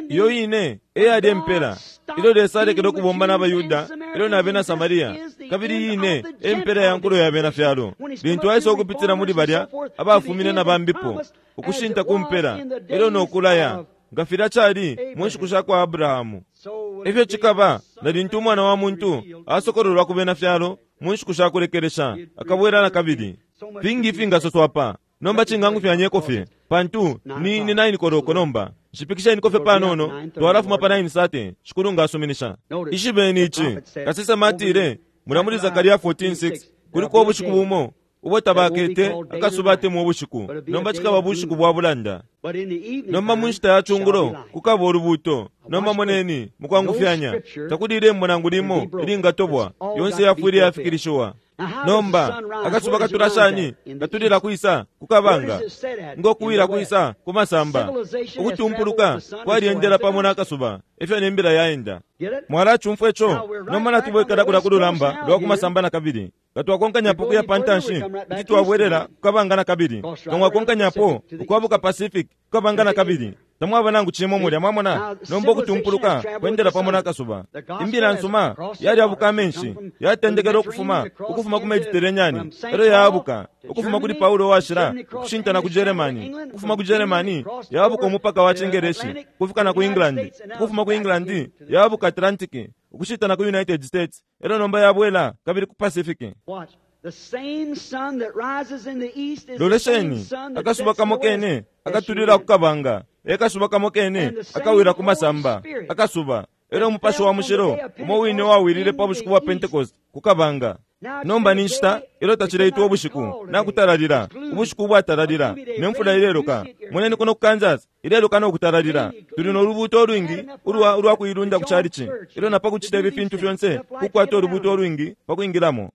Iyo ine eyali empela ilyo Lesa alekele ukubomba n'abaYuda ilyo n'abena Samaria, kabili iyi ine empela ya nkulo ya bena fyalo lintu aisa ukupitila muli balya abafumine na bambipo ukushinta ku mpela ilyo nokulaya nga filya cali mu nshiku sha kwa Abrahamu. Ifyo cikaba na lintu umwana wa muntu asokololwa ku bena fyalo mu nshiku sha kulekelesha akabwela na kabili. Fingi ifingasoswa pa nomba cingangufyanyeko fye pantu ni ni nine koloko nomba nshipikisheniko fye panono twalafuma pa nine sate shikulu ngasuminisha. Ishibeni ici kasesema atile mula muli Zakaria fourteen six kuliko ubushiku bumo ubo tabakete akasuba atemwa ubushiku nomba cikaba bushiku bwa bulanda. Nomba mu nshita ya chungulo kukaba ulubuto. Nomba moneni mukwangufyanya takuli ilembo nangu limo ilingatobwa yonse yafwile yafikilishiwa. Nomba akasuba katula shani katulila kwisa kukabanga ngokuwila kwisa kumasamba ukutumpuluka kwalyendela pamo n'akasuba ifyo nembila yaenda. Mwalachumfwa ico nomba natubwekela kula kululamba lwa kumasamba na kabili katwakonkanyapo kuya pantanshi kuti twabwelela kukabanga na kabili kamwakonkanyapo ukwabuka Pacific kukabanga na kabili tamwaba nangu cimo mulya mwamona. Nomba ukutumpuluka kwendela pamo n'akasuba. Imbila nsuma yalyabuka amenshi yatendekela ukufuma ukufuma ku Mediterranean elyo yaabuka ukufuma kuli Paulo washila ukushinta na ku Germany ukufuma ku Germany yaabuka umupaka wa Chingereshi kufika na ku England ukufuma ku England yaabuka Atlantic ukushita na ku United States elyo nomba yabwela kabili ku Pacific. Lolesheni akasuba kamo kene akatulila kukabanga ekasuba kamo kene akawira ku masamba akasuba elyo umupashi wa mushilo umo wine wawilile pa bushiku bwa Pentecost kukabanga. Nomba ni nshita elyo tachileitwa ubushiku nakutalalila ubushiku bwatalalila nemfula ileloka. Moneni kuno ku Kansas ileloka nokutalalila tuli nolubuto olwingi ulwa ulwa kuilunda ku chalichi elyo napa kuchita ibi fintu fyonse kukwata olubuto olwingi pakwingilamo.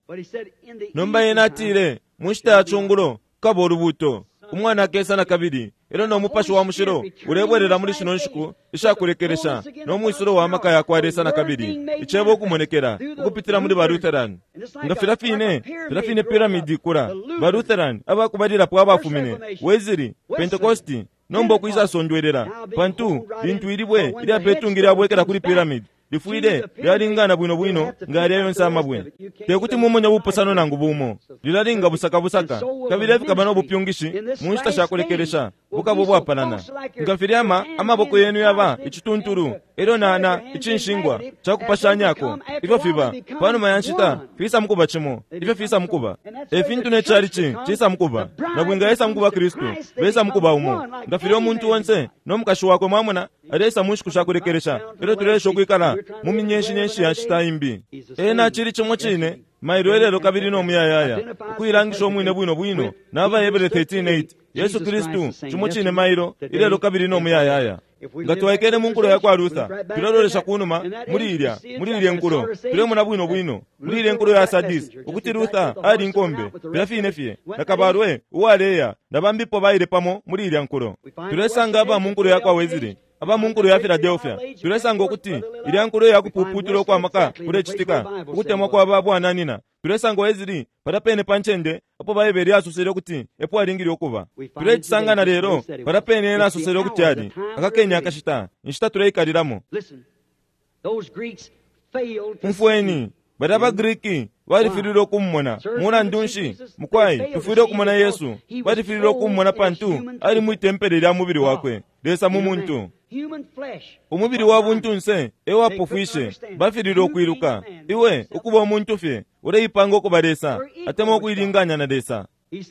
Nomba yena atile mu nshita ya chungulo kukaba olubuto umwana akesa na kabili elyo nomupashi wa mushilo ulebwelela muli shino nshiku ishakulekelesha nomwisulo wa maka yakwa Lesa na kabili icebo ukumonekela ukupitila muli ba Lutheran. Nga filya fine filya fine piramidi ikula ba Lutheran abakubalilapo abafumine Wesley Pentecosti nomba okwisasondwelela pantu lintu ilibwe ilyapetungi lyabwekela kuli piramidi lifwile lyalingana bwino bwino nga yalya yonse amabwe tekuti mumone bupusano nangu bumo lilalinga busakabusaka kabili efikaba n'obupyungishi mu nshita shakulekelesha bukaba obwapanana nga filyama amaboko yenu yaba icituntulu elyo nana icinshingwa cakupashanyako ifyo fiba panuma ya nshita fisa mukuba cimo ifyo fisa mukuba efintu necalici cisa mukuba nabwinga yesa mukuba Kristu besa mukuba umo nga filya omuntu onse n'omukashi wakwe mwamona alesa mu nshiku shakulekelesha elyo tulesha okwikala mu minyenshi-nyenshi ya nshita imbi. Ena chili chimo chine mailo elelo kabili nomuyayaya ukuilangisha omwine bwino bwino n'Abahebere thirteen eight Yesu Kristu chimo chine mailo ilelo kabili nomuyayaya. Nga twaikele mu nkulo ya kwa Luther tulelolesha kunuma muli ilya muli ilya nkulo tulemona bwino bwino muli ilya nkulo ya Sadis ukuti Luther ali nkombe filya fine fye na kabalwe uwaleya na bambipo baile pamo muli ilya nkulo. Tulesanga aba mu nkulo ya kwa Wesley aba mu nkulo ya Philadelphia tulesanga ukuti ilya nkulo ya kupuputula kwa maka kulecitika ukutemwa kwa babwananina. Tulesanga Wesley palya pene pa ncende apo Baibele yasosele ukuti epo alingile ukuba. Tulecisanga na lelo palya pene ena asosele ukuti ali akakenya akashita inshita tuleikalilamo. Umfweni balya abaGriki balifililwe okumumona mulandu nshi mukwai tufwile okumona Yesu balifililwe okumumona pantu ali mwitempele lya mubili wakwe Lesa mu muntu. Umubili wa buntunse ewapofwishe bafililwe okwiluka iwe ukuba omuntu fye uleipanga okuba Lesa atemwa okuilinganya na Lesa.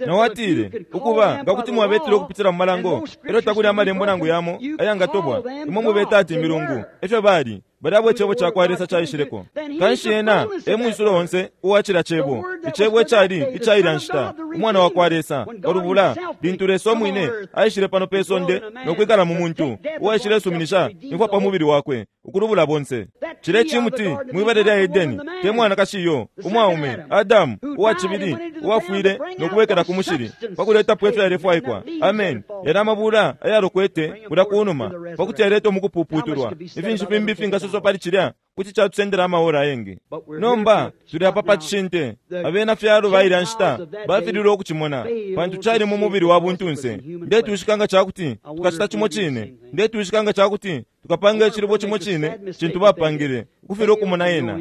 Nawatile ukuba nga kuti mwabetile okupitila mu malango elyo takuli amalembo nangu yamo ayangatobwa imwe mubeta ati milungu efyo bali balya icebo cakwa Lesa caishileko. Kanshi ena emwisulo onse uwacila cebo icebo ecali icaila nshita umwana wa kwa Lesa olubula lintu Lesa omwine aishile pano pe sonde nokwikala mu muntu uwaishilesuminisha imfwa pa mubili wakwe ukulubula bonse. Cile cimuti mwibale lya Edeni te mwanakashi iyo umwaume Adamu uwacibili uwafwile nokubwekela ku mushili pakuletapo efyo yalefwaikwa. Amen. Yali amabula ayalokwete kulya kunuma pakuti yaletwa mukupuputulwa ifinshi fimbi fingasoswa twalasosa pali cilya kuti catusendela amaora ayengi. Nomba tuli apa pa cishinte. Abena fyalo bailya nshita bafililwe ukucimona pantu cali mu mubili wa buntunse. Ndetwishika nga cakuti tukacita cimo cine. Ndetwishika nga cakuti tukapanga icilubo cimo cine cintu bapangile ukufilwa ukumona ena,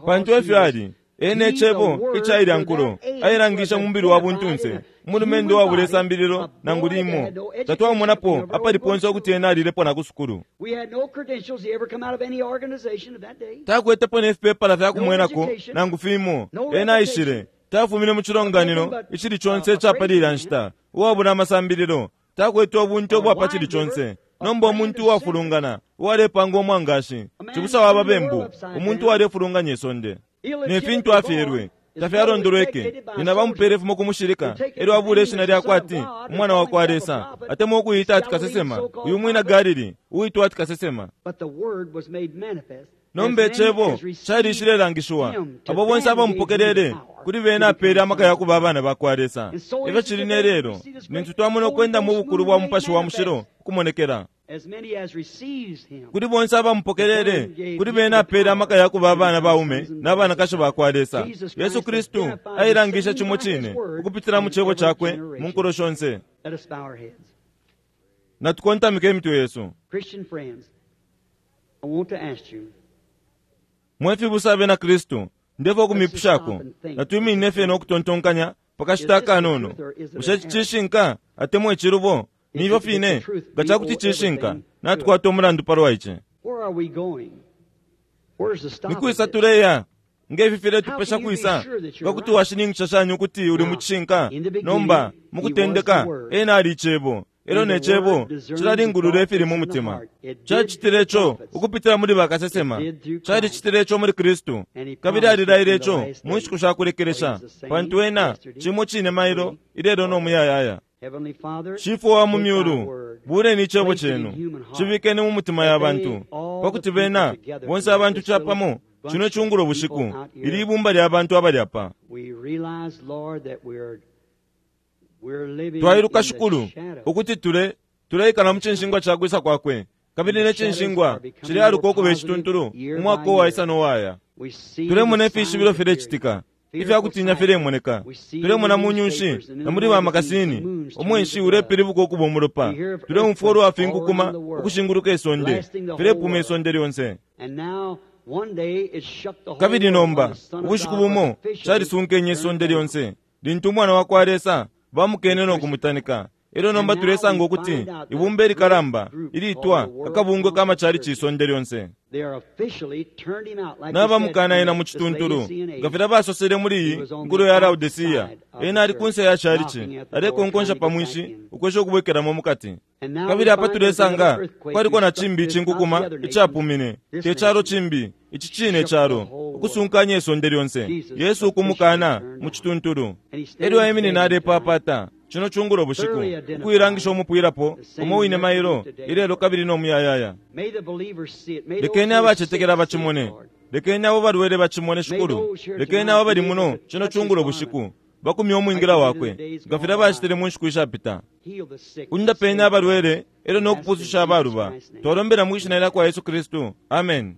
pantu efyo ali. Ene ecebo icailya nkulo ailangisha mu mubili wa buntunse, umulumendo wabula isambililo nangu limo. Tatwamumonapo apali ponse ukuti ena alilepo na ku sukulu. Takwetepo ne fipepala fya kumwenako nangu fimo. Ena aishile, tafumine mu cilonganino icili conse icapali ilya nshita, uwabula amasambililo, takwete ubunte ubwa cili conse. Nomba umuntu uwafulungana uwalepanga umwangashi, cibusa wa babembu, umuntu uwalefulunganya isonde ne fintu afyelwe tafyalondolweke. Nina bamupele fumo kumushilika elyo abula ishina lyakwe ati umwana wa kwa Lesa, atemwa ukuyita ati kasesema, uyu mwina Galili uwitwa ati kasesema. Nomba icebo calishilelangishiwa, abo bonse abamupokelele kuli bena apele amaka ya kuba abana ba kwa Lesa. Efyo cili ne lelo, nintu twamona ukwenda mu bukulu bwa Mupashi wa Mushilo ukumonekela kuli bonse abamupokelele, kuli bena apele amaka ya kuba abana baume n'abanakashi ba kwa Lesa. Yesu Kristu ailangisha cimo cine ukupitila mu cebo cakwe mu nkulo shonse. Natukontamike imitwe yesu. Mwe fibusa abena Kristu, ndefo ukumipushako, natwiminine fye nokutontonkanya pakashita akanono. Bushe cishinka atemwa icilubo? Nifyo fine, nga cakuti cishinka, natukwata umulandu palwa ici. Nikwisa tuleya? Ngefi filetupesha kwisa nga kuti washininkisha shani ukuti uli mu cishinka? Nomba mukutendeka ena ali icebo, elyo ne cebo cilalingulula ifili mu mutima. Cacitile ico ukupitila muli bakasesema, calicitile ico muli Kristu, kabili alilaile ico mu nshiku sha kulekelesha, pantu ena cimo cine mailo, ilelo no muyayaya. Shifwe wa mu myulu, buleni icebo cenu, cibikeni mu mutima ya bantu, pakuti bena bonse abantu capamo cino cungulo bushiku ili ibumba lya bantu abali apa. Twailuka Shikulu ukuti tule tuleikala mu cinshingwa ca kwisa kwakwe, kabili ne cinshingwa cilealuka ukuba icituntulu umwaka uwaisa nowaya. Tulemona ifishibilo filecitika, ifyakutinya filemoneka. Tulemona mu nyunshi na muli bamakasini umwenshi ulepilibuka ukuba umulopa. Tuleumfwa ulwa finkukuma ukushinguluka isonde, filepuma isonde lyonse. Kabili nomba ubushiku bumo calisunkenye isonde lyonse lintu umwana wa kwa Lesa bamukene no kumutanika. Elyo nomba tulesanga ukuti ibumba ilikalamba ilitwa akabungwe k'amacalici isonde lyonse n'abamukana ena mu cituntulu, nga filya basosele muli iyi nkulo ya Laodicea. Ena ali kunse ya calici, alekonkonsha pa mwinshi ukwesha ukubwekelamo mukati. Kabili apa tulesanga kwaliko na cimbi icinkukuma icapumine, te calo cimbi, ici cine calo, ukusunkanya isonde lyonse. Yesu ukumukana mu cituntulu. Elyo aiminina alepapata cino cungulo bushiku ukuilangisha umupwilapo umo wine mailo, ilelo kabili no muyayaya. Lekeni abacetekela bacimone, lekeni abo balwele bacimone Shikulu, lekeni abo bali muno cino cungulo bushiku bakumye umwingila wakwe nga filya bacitile mu nshiku ishapita. Undapeni abalwele elyo no kupususha abaluba. Twalombela mwi shina lya kwa Yesu Kristu, amen.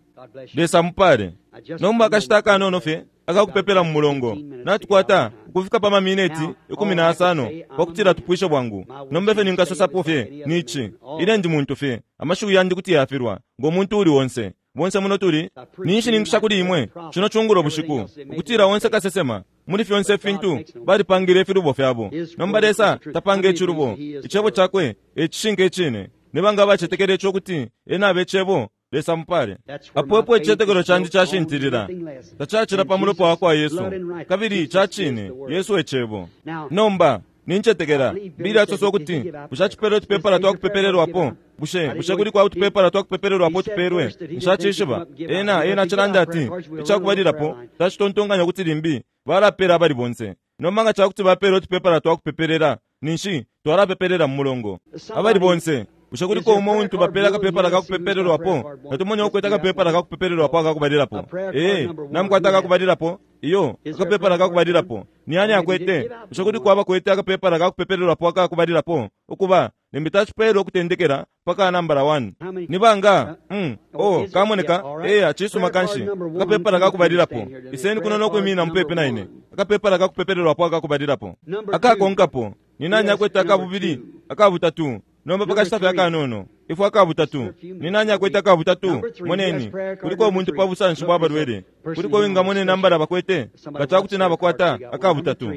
Lesa mupale. Nomba akashita akanono fye akakupepela mu mulongo, natukwata ukufika pa mamineti ikumi na asano pakutila tupwishe bwangu. Nomba fye ninkasosapo fye nici, ine ndi muntu fye, amashiwi yandi kuti yafilwa ngo muntu uli onse. Bonse muno tuli ninshi ninkusha kuli imwe cino cungulo bushiku ukutila onse kasesema muli fyonse fintu balipangile ifilubo fyabo. Nomba Lesa tapanga icilubo, icebo cakwe ecishinka icine. Nibanga abacetekele ico kuti ena abe icebo? Lesa mupale. Apo epo icicetekelo candi cashintilila, tacacila pa mulopa wa kwa Yesu, kabili cacine Yesu ecebo. Nomba nincetekela Bili asosa ukuti bushe acipele utupepala twakupepelelwapo? Bushe bushe kuli kwa utupepala twakupepelelwapo tupelwe? Nshacishiba. Ena ena cilanda ati icakubalilapo tacitontonkanya ukuti limbi balapela abali bonse. Nomba nga cakuti bapele utupepala twakupepelela, ninshi twalapepelela mu mulongo abali bonse. Bushe kuliko umo untu bapela akapepala kakupepelelwapo? Natumone ukwete akapepala kakupepelelwapo akakubalilapo. Ee, namukwata akakubalilapo? Iyo, akapepala kakubalilapo. Ni ani akwete? Bushe kuliko abakwete akapepala kakupepelelwapo akakubalilapo? Ukuba, limbi tacipele okutendekela paka nambala one. Ni banga? Mm. Oh, kamoneka. Eya, cisuma kanshi. Akapepala kakubalilapo. Iseni kuno nokwimina mupepi na ine. Akapepala kakupepelelwapo akakubalilapo. Akakonkapo. Ni nani akwete akabubili? Akabutatu. Nomba pakashita fye akanono. Ifwe akabutatu. Ni nani akwete akabutatu? Moneni. Kuliko omuntu pa busanshi bwa balwele. Kuliko wingamone nambala bakwete. Nga cakuti nabakwata akabutatu.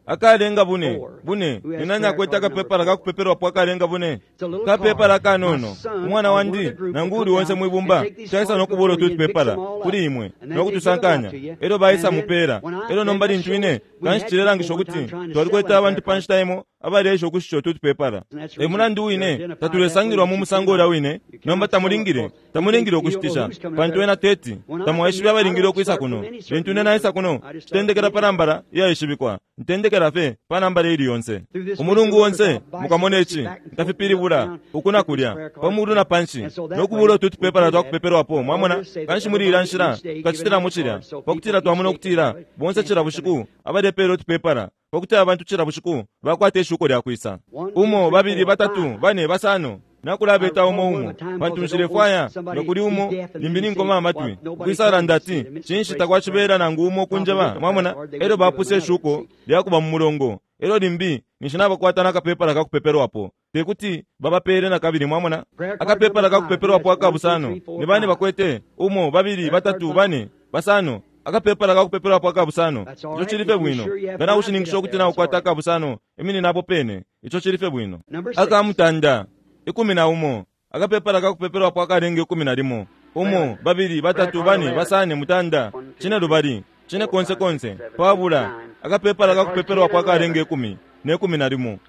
Akalenga bune, bune, ni nani akwete akapepala kakupepelwapo akalenga bune? Kapepala akanono. Umwana wandi, nangu uli onse mwibumba, caisa nokubula ututupepala kuli imwe, nokutusankanya. Elyo baisa mupela. Elyo nomba lintu ine, kanshi cilelangisha ukuti twalikwete abantu pa nshita imo abaleesha ukushisha ututupepala. E mulandu wine, tatulesangilwa mu musango ulya wine, nomba tamulingile, tamulingile ukushitisha, pantu ena teti, tamwaishibe abalingile ukwisa kuno. Lintu ine naisa kuno, citendekela pa nambala iyaishibikwa. Ntendekela fe pa nambala ili yonse. Umulungu wonse, mukamone ici, ntafipilibula, uku na kulya, pa mulu na panshi, nokubula ututupepala twakupepelwapo, mwamona, kanshi muli ilya nshila, tukacitila cilya, pakutila twamona ukutila, bonse cila bushiku, abalepela utupepala, pakuti abantu cila bushiku bakwata ishuko lya kwisa. Umo, babili, batatu, bane, basano. Nakulabeta umo umo pantu nshilefwaya nga kuli umo limbi ninkoma amatwi ukwisalanda ati cinshi takwacibela nangu umo kunjeba, mwamona. Elyo bapuse ishuko lyakuba mu mulongo, elyo limbi ninshi nabakwata nakapepala kakupepelwapo, tekuti babapele nakabili, mwamona. Akapepala kakupepelwapo akabusano ni bane bakwete? Umo, babili, batatu, bane, basano. Akapepala kakupepelwapo akabusano. Ico cilife bwino. Nga naushininkisha ukuti naukwata akabusano, imini napo pene. Ico cilife bwino. Akamutanda ikumi na umo. Akapepala kakupepelwapo akalenga ikumi na limo. Umo, babili, batatu, bane, basane, mutanda, cine lubali, cine konse konse, pabula. Akapepala kakupepelwapo akalenga ikumi ne kumi na limo.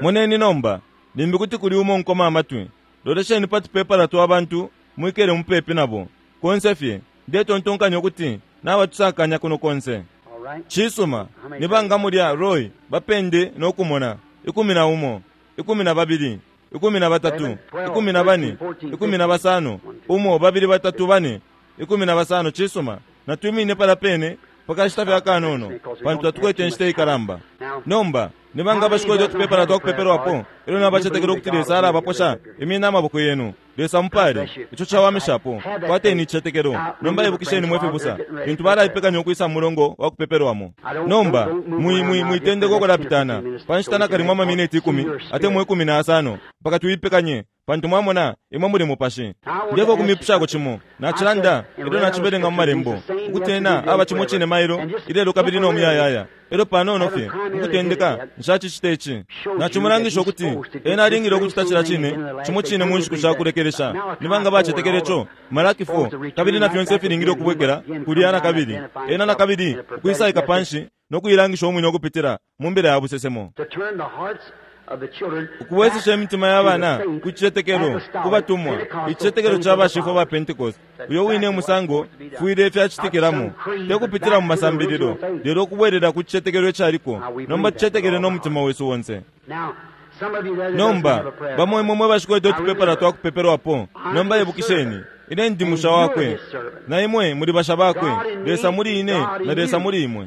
Moneni nomba, limbi kuti kuli umo nkoma amatwi. Lolesheni pa tupepala twa bantu mwikele mupepi nabo. Konse fye, ndetontonkanya ukuti nabatusakanya kuno konse. Cisuma, ni banga mulya Roy, bapende nokumona. Ikumi na umo, ikumi na babili, ikumi na batatu, ikumi na bane, ikumi na basano. Umo, babili, batatu, bane, ikumi na basano. Cisuma, natwimine pala pene pakashita fye akanono, pantu tatukwete inshita ikalamba. Nomba, ni banga abashikwete utupepala twakupepelwapo, elyo nabacetekela ukuti Lesa alabaposha, imina amaboko yenu. Lesa mupale, ico cawamishapo. Kwateni icicetekelo. Nomba ibukisheni mwe fibusa, lintu balaipekanya ukwisa mu mulongo wa kupepelwamo. Nomba, mwitendeka ukulapitana pa nshita nakalimo amamineti ikumi atemwa ikumi na asano mpaka tuipekanye, pantu mwamona imwe muli mupashi. Ndeko kumipushako cimo, nacilanda elyo nacibelenga mu malembo ukuti ena aba cimo cine mailo ilelo kabili no muyayaya. Elyo panono fye mukutendeka nshacicita ici. Nacimulangisha ukuti ena alingile ukucita cila cine cimo cine mu nshiku shakulekelesha. Ni banga bacetekele ico? Malaki four. Kabili na fyonse filingile ukubwekela kulya na kabili. Ena na kabili ukwisaika panshi no kuilangisha umwine ukupitila mu mbila ya busesemo. Ukuwezesha imitima ya bana ku cicetekelo kubatumwa, icicetekelo ca bashifwa ba Pentecost. Uyo wine musango fwile fyacitikilamo, tekupitila mu masambililo, lelo ukubwelela ku cicetekelo icaliko. Nomba tucetekele no mutima wesu wonse. Nomba bamo imwe mwe bashikwete utupepala twakupepelwapo. Nomba ibukisheni, ine ndi musha wakwe, na imwe muli basha bakwe. Lesa muli ine na Lesa muli imwe.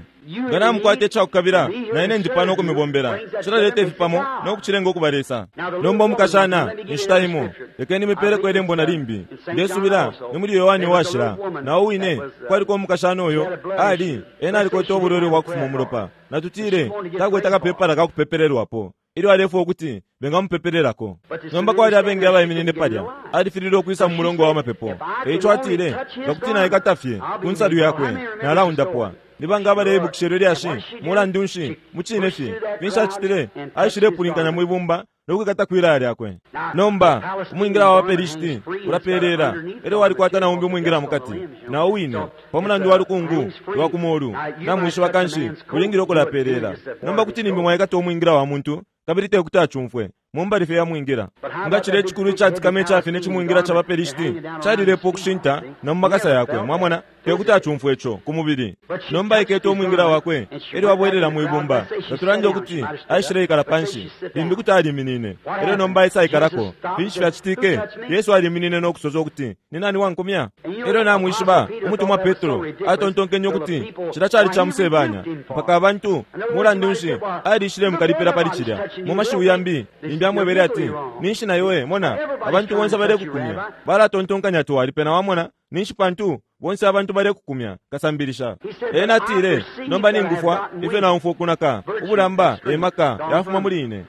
Nga namukwata icakukabila, na ine ndi pano ukumibombela. Cilaleta ifi pamo nokucilenga ukuba Lesa. Nomba umukashana, inshita imo, lekeni mipeleko ilembo na limbi. Ndesubila ni muli Yohani washila. Na wine kwaliko umukashana uyo ali ena alikwete ubulwele bwa kufuma umulopa. Natutile takwete akapepala kakupepelelwapo, ilyo alefwa ukuti bengamupepelelako. Nomba kwali abengi abaiminine palya, alifilile ukwisa mu mulongo wa mapepo. Eico atile, nga kuti naikata fye ku nsalu yakwe, nalaundapwa. Ni banga abaleibukisha ilyo lyashi? Mulandu nshi, mucine fye, finshi acitile? Aishilepulinkanya mwibumba nokwikata kwilaya lyakwe. Nomba umwingila wa bapelishiti ulapelela, elyo walikwata na umbi umwingila mukati, na wine pa mulandu wa lukungu lwa kumolu. Namwishiba kanshi ulingile ukulapelela. Nomba kuti limbi mwaikata umwingila wa muntu kabili tekuti acumfwe. Mumbali fye yamwingira. Nga chile chikulu ichatikama ichafine chimwingira cha baPelishiti chalilepo ukushinta na mu makasa yakwe, mwamona, tekuti achumfwe ico ku mubili. Nomba ikete umwingira wakwe elyo abwelela mwibumba. Tatulande ukuti aishileikala panshi, limbi kuti aliminine. Elyo nomba aisaikalako. Finshi fyacitike? Yesu aliminine no kusosa ukuti, ni nani wankumya? Elyo namwishiba umutumwa Petro atontonkenye ukuti cila cali ca musebanya mpaka abantu mulandu nshi alishile mukalipila pali cilya. Mu mashiwi yambi limbi amwebele ati, ninshi na iwe mona abantu bonse balekukumya, balatontonkanya ati walipena, wamona, ninshi pantu bonse abantu balekukumya kasambilisha. Ena atile, nomba ningufwa ifyo naumfwa ukunaka ubulamba emaka yafuma muli ine.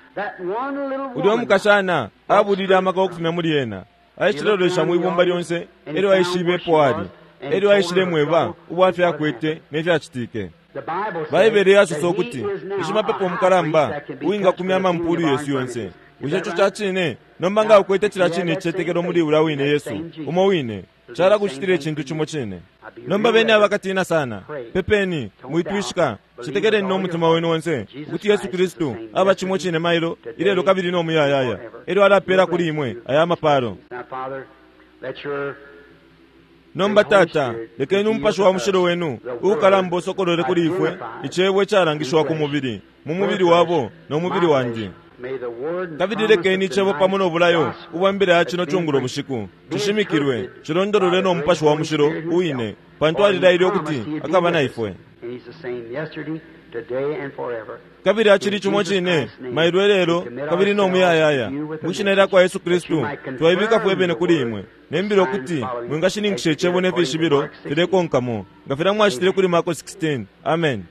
Ulyo mukashana abulile amaka okufumya muli ena. Aishilelolesha mwibumba lyonse elyo aishibepo ali, elyo aishile mweba ubwafya akwete nefyacitike. Baibele yasosa ukuti ishimapepo omukalamba uwingakumya amampulu yesu yonse. Bushe ico ca cine? Nomba nga ukwete cila cine icicetekelo muli ula wine Yesu umo wine, calakucitila icintu cimo cine. Nomba beni abakatina sana, pepeni, mwitwishika, cetekeleni no mutima wenu onse ukuti Yesu Kristu aba cimo cine mailo, ilelo kabili no muyayaya. Elyo alapela kuli imwe aya mapalo. Nomba Tata, lekeni umupashi wa mushilo wenu uukalamba usokolole kuli ifwe icebo icalangishwa ku mubili, mu mubili wabo no mubili wandi. Kabili lekeni icebo pamo no bulayo ubwa mbila ya cino cungulo bushiku cishimikilwe, cilondolole no mupashi wa mushilo uwine, pantu alilaile ukuti akaba na ifwe. Kabili acili cimo cine mailo elelo kabili no muyayaya. Mwishina lya kwa Yesu Kristu twaibika fwe bene kuli imwe, nembila ukuti mwingashininkisha icebo ne fishibilo filekonkamo nga filya mwacitile kuli Marko sixteen. Amen.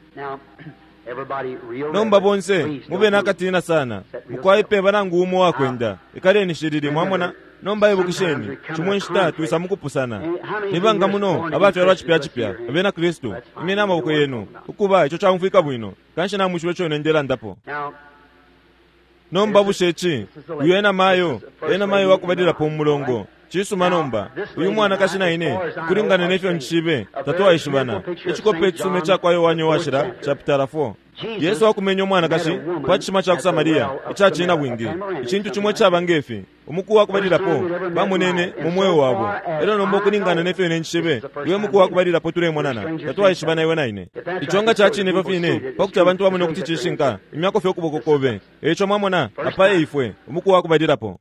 Nomba bonse mube nakatina sana, mukwaipe nangu umo wakwenda, ikaleni shilili, mwamona. Nomba ibukisheni, cimwe nshita twisa mukupusana. Nibanga muno abafyalwa cipya cipya abena Kristu, imyeni amaboko yenu ukuba ico caumfwika bwino, kanshi namwishiwe ico ine ndelandapo. Nomba bushe ici, uyu ena mayo, ena mayo wakubalilapo mu mulongo. Cisuma nomba, uyu mwanakashi na ine, kulingana nefyo ncishibe, tatwaishibana. Icikope icisuma ica kwa Yohane Uwashila, chapter four. Yesu akumenya umwanakashi pa cishima ca ku Samaria ica cinabwingi, icintu cimo icaba ngefi. Umuku wakubalilapo bamunene mu mweo wabo. Elyo nomba ukulingana nefyo ine ncishibe, iwe muku wakubalilapo tulemonana, tatwaishibana iwe na ine. Ico nga ca cine ifyo fine, pakuti abantu bamone ukuti cishinka, imyako fye ukuboko kobe. Eico mwamona, apa eifwe, umuku wakubalilapo.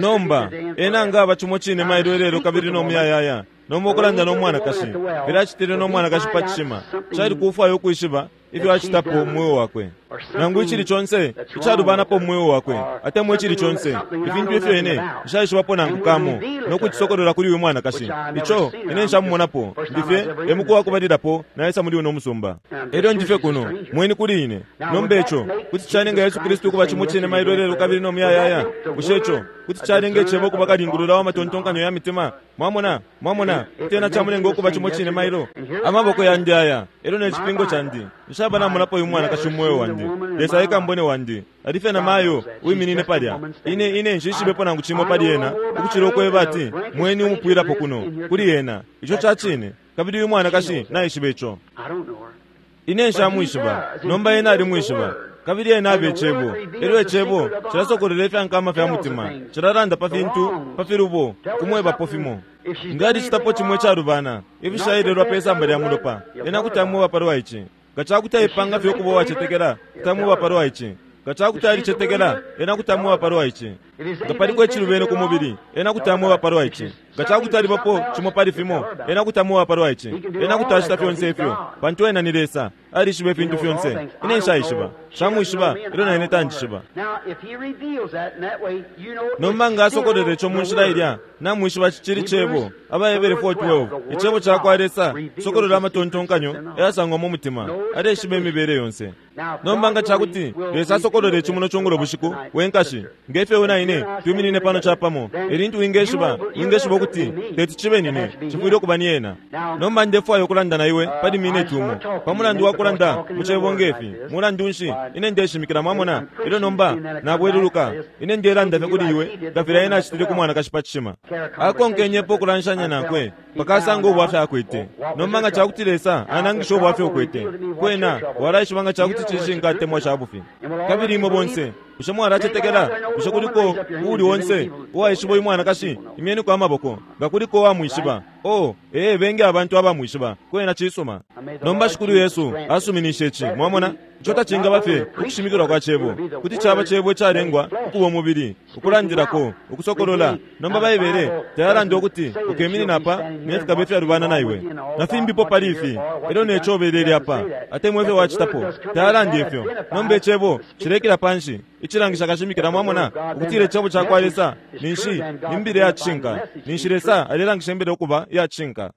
Nomba ena nga aba cimo cine mailo elelo kabili no muyayaya. Nomba ukulanda no mwanakashi, filacitile no mwanakashi pa cishima, cali kufwaya ukwishiba ifyo acitapo mu mweo wakwe. Nangu icili conse icalubanapo mu mweo wakwe, atemwa icili conse ifintu ifyo ine nshaishibapo nangu kamo, no kucisokolola kuli uyu mwanakashi, ico ine nshamumonapo, ndifye emuku wakubalilapo naisa muli uno musumba. Elyo ndifye kuno mweni kuli ine. Nomba ico kuti calenga Yesu Kristu ukuba cimo cine mailo elelo kabili no muyayaya. Bushe ico kuti calenga icebo ukuba kalingulula wa matontonkanyo ya mitima? Mwamona, mwamona, tena camulenga ukuba cimo cine mailo. Amaboko yandi aya, elyo ne cipingo candi, nshaba namonapo uyu mwanakashi mu mweo wandi. Lesa ekambone wandi, alife na mayo uiminine palya. Ine ine nshishibepo nangu cimo pali ena, ukucila ukweba ati mweni umupwilapo kuno kuli ena. Ico ca cine, kabili uyu mwanakashi naishiba ico. Ine nshamwishiba, nomba ena alimwishiba. Kabili ena abe icebo, elyo icebo cilasokolela ifyankama fya mutima, cilalanda pa fintu pa filubo, kumwebapo fimo. Nga alicitapo cimo icalubana, ifishailelwa pe samba lya mulopa, ena kuti amweba palwa ici. Nga cakuti aipanga fye ukuba uwacetekela, kuti amweba palwa ici. Nga cakuti alicetekela, ena kuti amweba palwa ici. Nga paliko icilubene ku mubili, ena kuti amweba palwa ici. Nga cakuti alibapo cimo pali fimo, ena kuti amweba palwa ici. Ena kuti acita fyonse ifyo, pantu ena ni Lesa, alishiba ifintu fyonse. Ine nshaishiba, nshamwishiba, elyo na ine tanjishiba. Nomba nga asokolele ico mu nshila ilya, namwishiba cicili cebo. AbaHebere four twelve, icebo ca kwa Lesa sokolola amatontonkanyo ayasangwa mu mutima, aleshiba imibele yonse. Nomba nga cakuti Lesa asokolole ici muno cungulo bushiku, wenkashi, ngefyo iwe na ine twiminine pano capamo, elintu wingeshiba, wingeshiba ukuti teti cibe nine, cifwile ukuba ni ena. Nomba ndefwaya ukulanda na iwe pali mineti umo, pa mulandu wa kulanda mu cebo ngefi, mulandu nshi ine ndeshimikila, mwamona. Elyo nomba nabweluluka, ine ndelanda fye kuli iwe nga filya ena acitile ku mwanakashi pa cishima. Akonkenyepo ukulanshanya nankwe, Mpaka asanga ubwafya akwete. Nomba nga cakuti Lesa anangisha ubwafya ukwete, kwena walaishiba nga cakuti cishinka atemwa ca bufi. Kabili imwe bonse, bushe mwalacetekela? Bushe kuliko uuli onse uwaishiba uyu mwanakashi? Imyeniko amaboko nga kuliko uwamwishiba. Oh, ee, bengi abantu abamwishiba. Kwena cisuma. Nomba Shikulu Yesu asuminishe ici. Mwamona, ico tacingaba fye ukushimikilwa kwa cebo, kuti caba cebo icalengwa ukuba umubili, ukulandilako, ukusokolola. Nomba Baibele tayalanda ukuti ukeminina apa ne fikaba ifyalubana na iwe na fimbipo pali ifi, elyo ne co ubelele apa, atemwa ifyo wacitapo. Tayalanda ifyo. Nomba icebo cilekela panshi icilangisha kashimikila, mwamona, ukutila icebo ca kwa Lesa ninshi ni mbila ya cishinka, ninshi Lesa alelangisha imbila ukuba iya cishinka.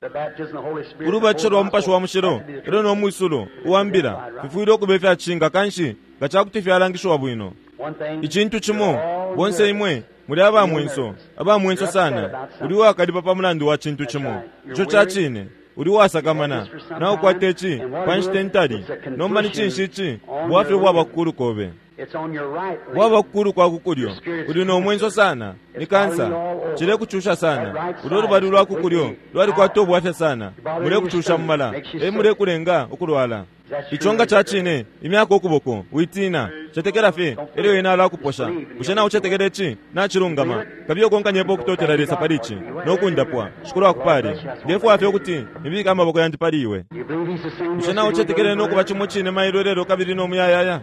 Ulubatisho lwa Mupashi wa Mushilo elyo no mwisulo uwa mbila fifwile ukuba ifya cishinka, kanshi nga ca kuti fyalangishiwa bwino. Icintu cimo, bonse imwe muli aba mwenso, aba mwenso sana. Uli uwakalipa pa mulandu wa cintu cimo. Ico ca cine. Uli uwasakamana. Naukwata ici pa nshita intali. Nomba ni cinshi ici? Bwafya ubwaba kukulu kobe, bwaba kukulu kwa kukulyo. Uli no mwenso sana. Ni kansa, cilekucusha sana. Ulo lubali lwa kukulyo lwalikwata ubwafya sana, mulekucusha mumala, e mulekulenga ukulwala. Ico nga ca cine, imyaka ukuboko. Witina, cetekela fye, elyo ena alakuposha. Bushe naucetekela ici? Nacilungama. Kabiye ukonkanyepo ukutotela Lesa pali ici no kundapwa. Shikulu akupale. Ndefwaya fye ukuti nibike amaboko yandi pali iwe. Bushe naucetekele no kuba cimo cine mailo, lelo, kabili no muyayaya?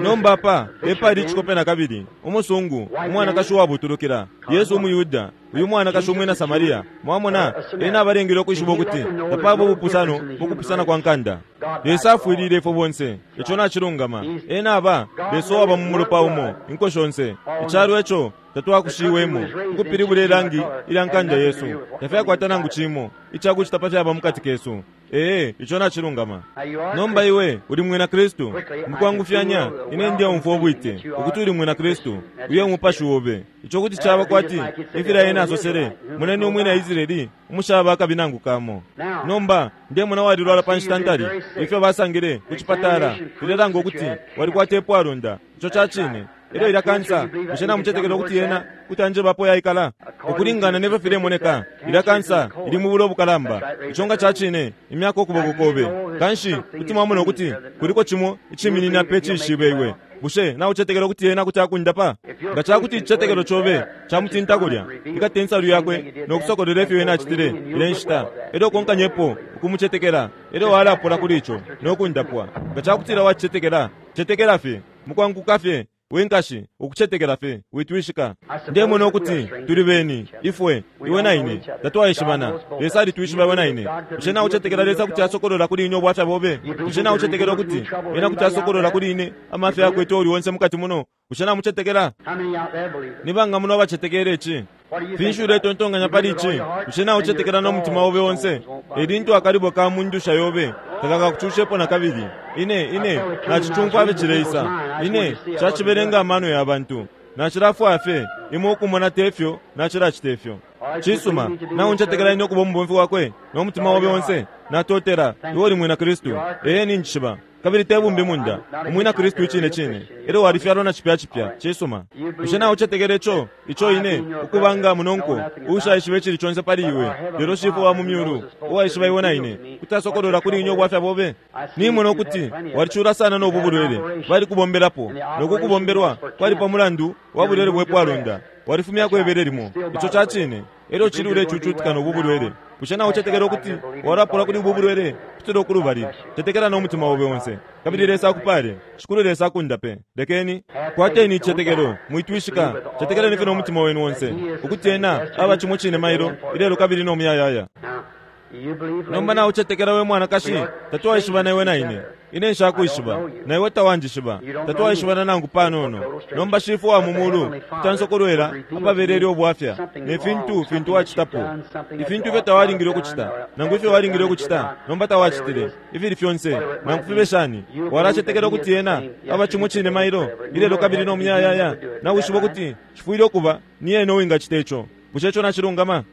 Nomba apa epali icikope na kabili, umusungu umwanakashi uwabutulukila, Yesu umuYuda, uyu mwanakashi umwina Samaria. Mwamona, ena abalengele ukwishiba ukuti tapaba ubupusano mu kupusana kwa nkanda. Lesa afwilile ifwe bonse. Ico nacilungama. Ena aba Lesa uwaba mu mulopa umo inko shonse. Icalo eco tatwakushiwemo, ukupilibula ilangi ilya nkanda yesu, tafyakwata nangu cimo icakucita pa fyaba mukati kesu. Ee, ico nacilungama. Nomba iwe uli mwina Kristu. Mukwangufyanya ine ndeumfwa ubwite ukuti uli mwina Kristu. Uye umupashi obe. Ico kuti caba kwati imfila ena asosele, "Moneni umwina Israeli umushaba akabi nangu kamo." Nomba ndemona walilwala pa nshita ntali. Ifyo basangile ku cipatala filelanga ukuti walikwata ipwalonda. Ico ca cine. Elyo ilya kansa, bushe namucetekela ukuti yena kuti anjebapo yaikala? Ukulingana nefyo filemoneka, ilya kansa ili mu bulo obukalamba. Ico nga ca cine, imyaka ukuboko kobe. Kanshi kuti mwamona ukuti kuliko cimo iciminina pe cishibe iwe. Bushe naucetekela ukuti yena kuti akundapa? Nga ca kuti icicetekelo cobe camutinta kulya, ikate insalu yakwe no kusokolola ifyo ena acitile ile nshita, elyo ukonkanyepo ukumucetekela, elyo walapola kuli ico no kundapwa. Nga ca kutila wacicetekela, cetekela fye mukwanguka fye, we nkashi, ukucetekela fye, witwishika. Ndemona ukuti tuli beni ifwe, iwe na ine tatwaishibana. Lesa alitwishiba iwe na ine. Bushe naucetekela Lesa kuti asokolola kuli ine ubwafya bobe? Bushe naucetekela ukuti ena kuti asokolola kuli ine amafya yakwete uli onse mukati muno? Bushe namucetekela? Ni banga muno abacetekela ici? Finshi uletontonkanya pali ici? Bushe naucetekela no mutima obe onse? Elintu akalibo ka mundusha yobe takakakucushepo na kabili. Ine ine nacicumfwa abe cileisa. Ine cacibelenga amano ya bantu. Nacilafwaya fye imwe ukumona tefyo nacilacita ifyo. Cisuma. Nauncetekela ine ukuba umubomfi wakwe no mutima obe onse? Natotela. Iwe uli mwina Kristu. Ee, ninjishiba. Kabili te bumbi munda, umwina Kristu icine cine, elyo walifyalwa na cipya cipya. Cisuma. Bushe naucetekela ico ico ine ukubanga munonko uushaishiba icili conse pali iwe, lelo Shifwe wa mu myulu uwaishiba iwe na ine kuti asokolola kuli ine ubwafya bobe? Nimona ukuti walicula sana no bu bulwele. Balikubombelapo, no kukubombelwa kwali pa mulandu wa bulwele bwe pwalonda. Walifumyako ibele limo. Ico ca cine. Elyo cili ulecucutika no bu bulwele. Bushe naucetekela ukuti walapola kuli ubu bulwele kutila ukulubali? Cetekela no mutima obe onse, kabili Lesa akupale. Shikulu Lesa akundape. Lekeni kwateni icicetekelo, mwitwishika. Cetekeleni fye no mutima wenu onse ukuti ena aba cimo cine mailo, ilelo, kabili no muyayaya. Nomba naucetekela, we mwanakashi? Tatwaishibana iwe na ine. Ine nshakwishiba, na iwe tawanjishiba. Tatwaishibana nangu panono. Nomba Shifwe wa mu mulu kutansokolwela apabelele ubwafya ne fintu fintu wacitapo, ifintu ifyo tawalingile ukucita nangu ifyo walingile ukucita nomba tawacitile, ifili fyonse nangu fibe shani. Walacetekela ukuti ena aba cimo cine mailo, ilelo, kabili no muyayaya? Nawishiba ukuti cifwile ukuba ni ena uwingacita ico. Bushe ico nacilungama?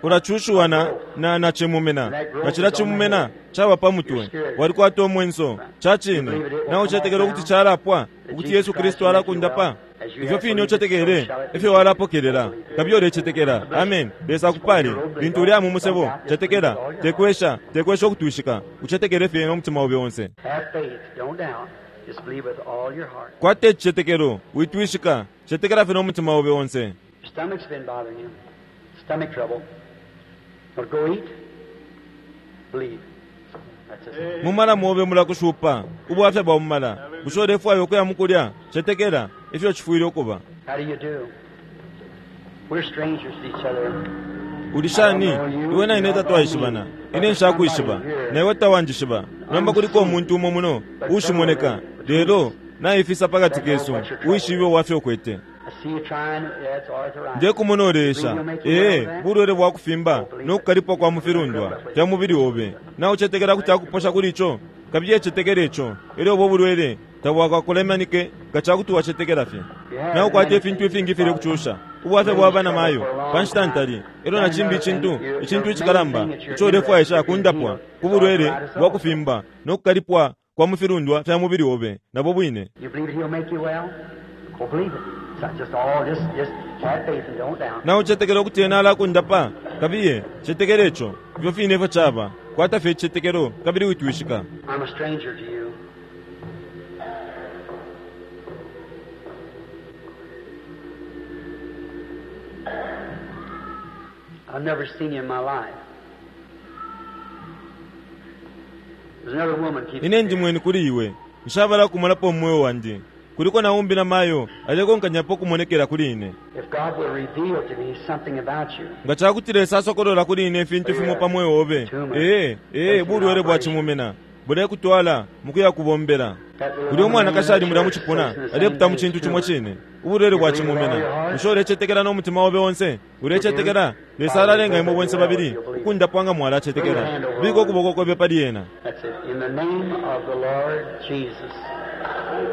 Ulacushiwa na na na cimumena, na cila cimumena caba pa mutwe. Walikwata umwenso ca cine. Nawe ucetekela ukuti calapwa, ukuti Yesu Kristu alakundapa? Ifyo fine ucetekele, ifyo walapokelela. Kabili ulecetekela. Amen. Lesa akupale. Lintu uli mu musebo, cetekela. Tekwesha, tekwesha ukutwishika. Ucetekele fye nomutima obe onse. Kwata icicetekelo, witwishika. Cetekela fye nomutima obe onse. Stomach trouble. But go eat. Believe. Mumala mobe mulakushupa ubwafya bwa mumala. Bushe ulefwaya ukuya mukulya? Cetekela ifyo cifwile ukuba. How do you do? We're strangers to each other. Uli shani? Iwe na ine tatwaishibana. Ine nshakuishiba na iwe tawanjishiba. Nomba kuliko umuntu umo muno ushimoneka, lelo naifisa pakati kesu, uishibe ubwafya ukwete. Ndekumona uleesha. Ee, bulwele bwa kufimba nokukalipwa kwa mufilundwa fya mubili obe. Na ucetekela kuti akuposha kuli ico? Kabili ecetekela ico, elyo ubo bulwele tabwakakulemanike nga cakuti wacetekela fye. Na ukwata ifintu ifingi fili kucusha ubwafya bwa bana mayo pa nshita ntali, elyo na cimbi icintu, icintu icikalamba ico ulefwaisha kundapwa ku bulwele bwa kufimba nokukalipwa kwa mufilundwa fya mubili obe nabo bwine. Na ucetekela ukuti ena alakundapa? Kabiye, cetekela ico. Ifyo fine ifyo caba. Kwata fye icicetekelo kabili witwishika. I'm a stranger to you. I've never seen you in my life. There's another woman keeps Ine ndi mweni kuli iwe. Nshabala kumolapo umweo wandi. Kuliko na umbi na mayo alekonkanyapo kumonekela kuli ine. If God will reveal to me something about you. Nga cakuti Lesa asokolola kuli ine ifintu fimo pa mweo obe. Ee, ee, bulwele bwa cimumena bulekutwala mukuya kubombela. Uli umwanakashi ali mulya mucipuna aleputa mu cintu cimo cine, ubulwele bwa cimumena. Bushe ulecetekela nomutima obe onse? Ulecetekela? Lesa alalenga imwe bonse babili ukundapwa nga mwalacetekela. Bika ukuboko kobe pali ena. That's it. In the name of the Lord Jesus.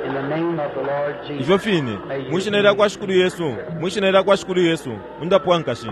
In the name of the Lord Jesus. Ifyo fine, mwishina lya kwa Shikulu Yesu, mwishina lya kwa Shikulu Yesu, undapwa nkashi.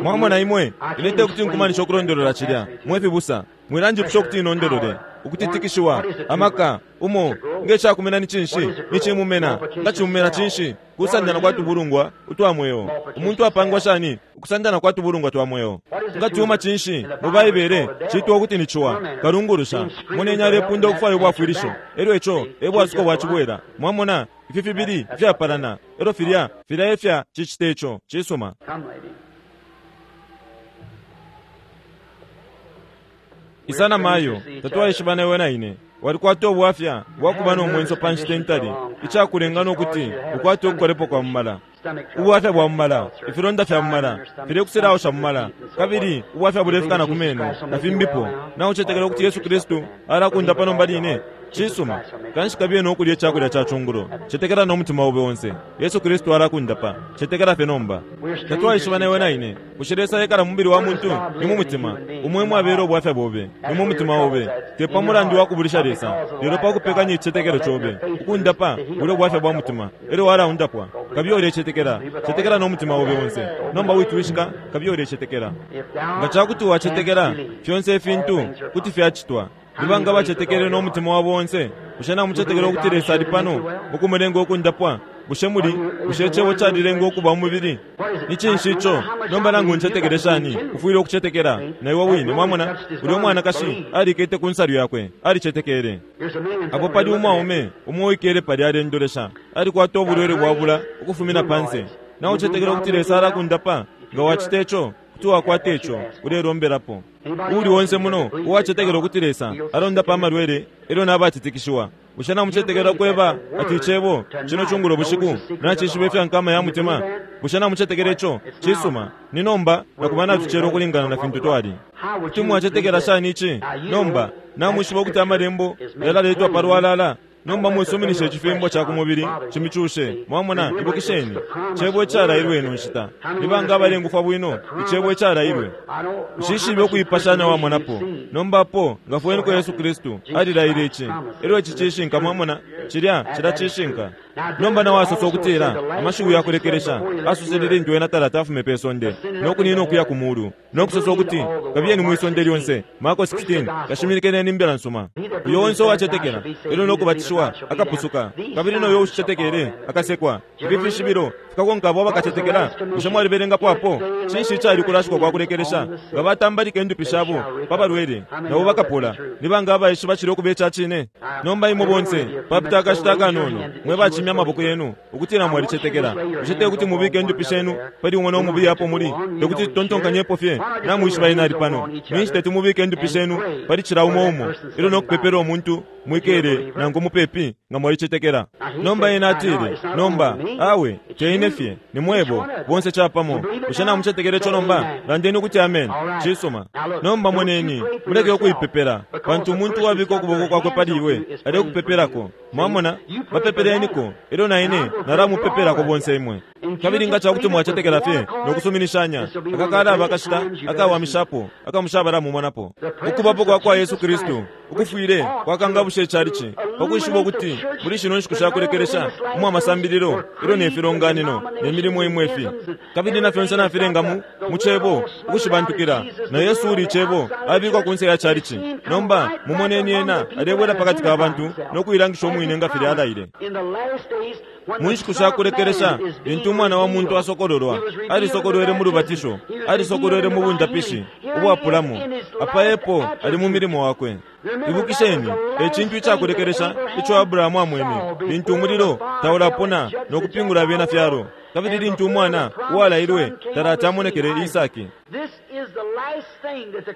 Mwamona imwe, ine tekuti nkumanishe ukulondolola cilya. Mwe fibusa, mwilanjipusha ukuti inondolole, ukutitikishiwa, amaka, umo, nge cakumena ni cinshi, ni cimumena, nga cimumena cinshi, kusandana kwa tubulungwa utwa mweo. Umuntu apangwa shani ukusandana kwa tubulungwa twa mweo? Nga cuma cinshi, mu Baibele, citwa ukuti ni ciwa, kalungulusha. Moneni alepunda ukufwaya ubwafwilisho, elyo ico e bwasuko bwa cibwela. Mwamona, ifi fibili ifyapalana, elyo filya, filya efya cicita ico, cisuma. Come, lady. Isana mayo, tatwaishibana iwe na ine. Walikwata ubwafya bwakuba nomwenso pa nshita intali, icakulenga nokuti ukwate ukukolepo kwa mumala. Ubwafya bwa mumala, ifilonda fya mumala, filekusilausha mumala, kabili ubwafya bulefikana ku meno na fimbipo. Na ucetekela ukuti Yesu Kristu alakundapa nomba line? Cisuma. Kanshi kabiye nokulya icakulya ca cungulo. Cetekela nomutima obe onse. Yesu Kristu alakundapa. Cetekela fye nomba. Tatwaishibana iwe na ine. Bushe Lesa ekala mu mubili wa muntu? Ni mu mutima. Umwe mwabela ubwafya bobe, ni mu mutima obe. Te pa mulandu wa kubulisha Lesa, lelo pa kupekanya icicetekelo cobe. Ukundapa ule ubwafya bwa mutima, elyo walaundapwa. Kabiye ulecetekela. Cetekela nomutima obe onse. Nomba witwishika, kabiye ulecetekela. If thou Nga cakuti wacetekela, canst believe, fyonse ifintu kuti fyacitwa. Libanga bacetekele nomutima wabo onse. Bushe namucetekela ukuti Lesa ali pano mukumulenga ukundapwa? Bushe muli, bushe icebo calilenga ukuba umubili? Ni cinshi ico? Nomba nangu ncetekele shani, ufwile ukucetekela na iwe wine. Mwamona, ulya umwanakashi alikete ku nsalu yakwe, alicetekele. Here's a man Apo pali umwaume umo uikele pali alendolesha, alikwata ubulwele bwabula ukufumina panse. Na ucetekela ukuti Lesa alakundapa? Nga wacita ico, kuti wakwata ico ulelombelapo. Uuli onse muno uwacetekela ukuti Lesa alondapa amalwele elyo nabatitikishiwa. Bushe namucetekela kweba ati icebo cino cungulo bushiku nacishiba ifya nkama ya mutima? Bushe namucetekela ico? Cisuma. Ni nomba nakuba natucela ukulingana na fintu twali. Kuti mwacetekela shani ici? Nomba namwishiba ukuti amalembo yalaletwa palwalala. Nomba mwisuminishe icifimbo ca ku mubili cimicushe. Mwamona, ibukisheni cebo icalailwe ino nshita. Libanga abalengufwa bwino icebo icalailwe. Nshishibe ukuipashana wamonapo. Nomba apo ngafweniko Yesu Kristu alilaile ici, elyo ici cishinka. Mwamona, cilya cila cishinka. Nomba nawo asosa ukutila amashiwi yakulekelesha asosele lintu ena talata afume pe sonde nokunina ukuya ku mulu, nokusosa ukuti kabiyeni mwisonde lyonse. Marko sixteen, kashimilikeneni imbila nsuma. Uyo onse uwacetekela elyo nokubatishiwa akapusuka, kabili noyo ushicetekele akasekwa. Ifi fishibilo fikakonka abo abakacetekela. Bushe mwalibelengapo apo? Cinshi icali kulashikwa kwa kulekelesha? Nga batambalika indupi shabo pa balwele, nabo bakapola. Ni banga abaishiba cilya ukuba ica cine? Nomba imwe bonse papita akashita akanono mwe bacimya amaboko yenu ukutila mwalicetekela. Bushe te kuti mubike indupi shenu pali umo nomubiye apo muli? Tekuti tutontonkanyepo fye namwishiba ena ali pano. Ninshi teti mubike indupi shenu pali cila umo umo elyo nokupepela umuntu mwikele nangu mupepi nga mwalicetekela. Nomba ena atile, nomba awe teine fye ni mwebo bonse capamo. Bushe namucetekela ico nomba? Landeni ukuti amen. Cisuma. Nomba moneni, muleke ukuipepela, pantu umuntu uwabika ukuboko kwakwe pali iwe alekupepelako. Mwamona, bapepeleniko elyo na ine nalamupepelako bonse imwe. Kabili nga cakuti mwacetekela fye nokusuminishanya, akakalaba akashita akawamishapo akamushabalamumonapo. Ukubapo kwa kwa Yesu Kristu ukufwile kwakangabusha icalici pakwishiba ukuti muli shino nshiku shakulekelesha umwa masambililo elyo ne filonganino ne milimo imwe ifi kabili na fyonse nafilenga mu cebo ukushibantukila, na Yesu uli icebo abikwa kunse ya calici. Nomba mumoneni ena alebwela pakati ka bantu nokuilangisha umwine nga filya alaile. Mu nshiku shakulekelesha lintu umwana wa muntu asokololwa, alisokolwele mu lubatisho, alisokolwele mu bundapishi ubwapulamo. Apa epo ali mu milimo wakwe. Ibukisheni ecintu icakulekelesha ico Abrahamu amwene lintu umulilo taulapona nokupingula abena fyalo, kabili lintu umwana uwalailwe talata amonekele Isaki.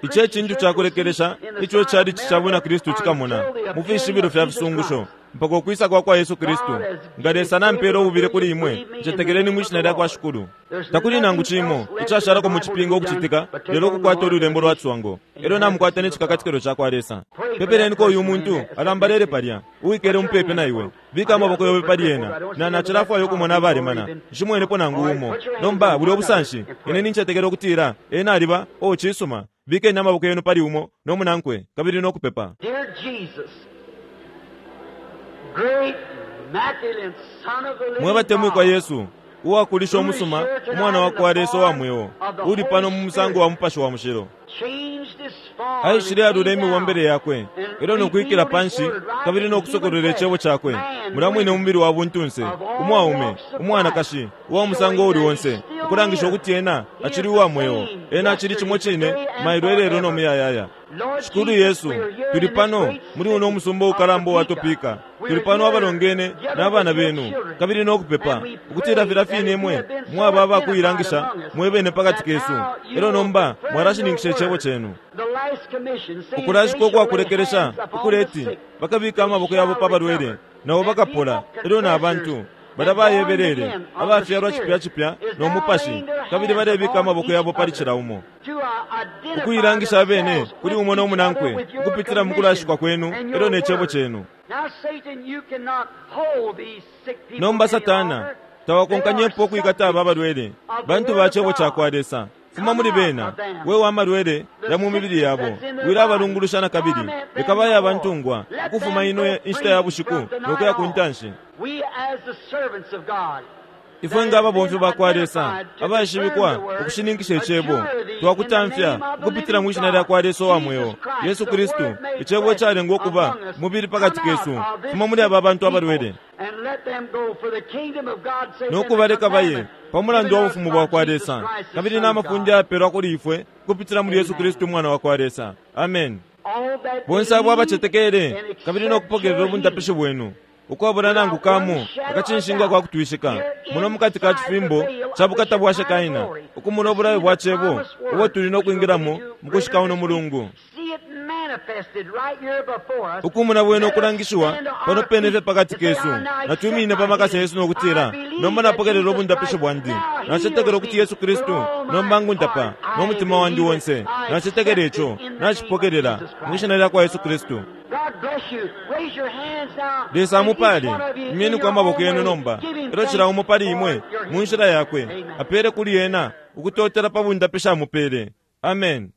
Ici ecintu cakulekelesha ico icalici ca bwina Kristu cikamona mu fishibilo fya fisungusho mpaka ukwisa kwa kwa Yesu Kristu. Nga Lesa nampela ububile kuli imwe, ncetekeleni mwishina lya kwa Shikulu. Takuli nangu cimo icashalako mu cipingo ukucitika lelo ukukwata ululembo lwa tswango elyo namukwata ne cikakatikilo ca kwa Lesa. Pepeleniko uyu muntu alambalele palya uwikele umupepe na iwe. Bika amaboko yobe pali ena na nacilafwayo ukumona abalemana. Nshimwenepo nangu umo. Nomba buli obusanshi ine nincetekela ukutila ena aliba o cisuma. Bikeni amaboko yenu pali umo nomunankwe kabili nokupepa. Mwebatemwikwa Yesu, uwakulisha umusuma umwana wa kwa Lesa wa mweo, uli pano mu musango wa mupashi wa mushilo. Aishile alula imibombele yakwe elyo nokwikila panshi kabili nokusokolwela icebo cakwe. Mulamwine umubili wa buntunse, umwaume, umwanakashi, uwa musango uli onse, ukulangisha ukuti ena acili uwa mweo. Ena acili cimo cine mailo elelo nomuyayaya. Shikulu Yesu, tuli pano muli uno umusumba ukalamba uwa Topeka. Tuli pano abalongene n'abana benu kabili nokupepa ukutila filya fine imwe mwaba abakuilangisha mwebene pakati kesu, elyo nomba mwalashininkisha icebo cenu. Ukulashikwa ukwakulekelesha ukuleti bakabika amaboko yabo pa balwele nabo bakapola, elyo na bantu bala bayebelele abafyalwa cipya cipya nomupashi kabili balebika amaboko yabo pali cila umo, ukuilangisha abene kuli umo nomunankwe ukupitila mu kulashikwa kwenu elyo ne cebo cenu. Nomba Satana tawakonkanyepo ukwikata aba balwele bantu ba cebo ca kwa Lesa. Fuma muli bena we wa malwele ya mu mibili yabo, wilabalungulusha na kabili. Leka baye abantungwa ukufuma ino inshita ya bushiku nokuya ku ntanshi. Ifwe nga ababomfi ba kwa Lesa abaishibikwa ukushininkisha icebo, twakutamfya ukupitila mwishina lya kwa Lesa wa mweo Yesu Kristu, icebo icalengwa ukuba mubili pakati kesu. Fuma muli aba bantu abalwele nokubaleka baye pamulandu wa bufumu bwa kwa Lesa kabili n'amafunde ayapelwa kuli ifwe kupitila muli Yesu Kristu umwana wa kwa Lesa. Amen. Bonse abo abacetekele kabili nokupokelela ubundapishi bwenu ukwabula nangu kamo akacinshinga kwa kutwishika muno mukati ka cifimbo ca bukata bwa Shekaina, ukumona obulayo bwa cebo ubo tuli nokwingilamo mukushika uno mulungu. Ukumona bwene okulangishiwa pano pene fye pakati kesu, natwimine pa makasa yesu nokutila nomba napokelela obundapishi bwandi. Nacetekela ukuti Yesu Kristu nomba ngundapa nomutima wandi wonse. Nacetekela ico, nacipokelela mwishina lya kwa Yesu Kristu. Lesa amupale. Imyeniko amaboko yenu nomba elyo cila umo pali imwe mu nshila yakwe apele kuli ena ukutotela pa bundapishi amupele. Amen.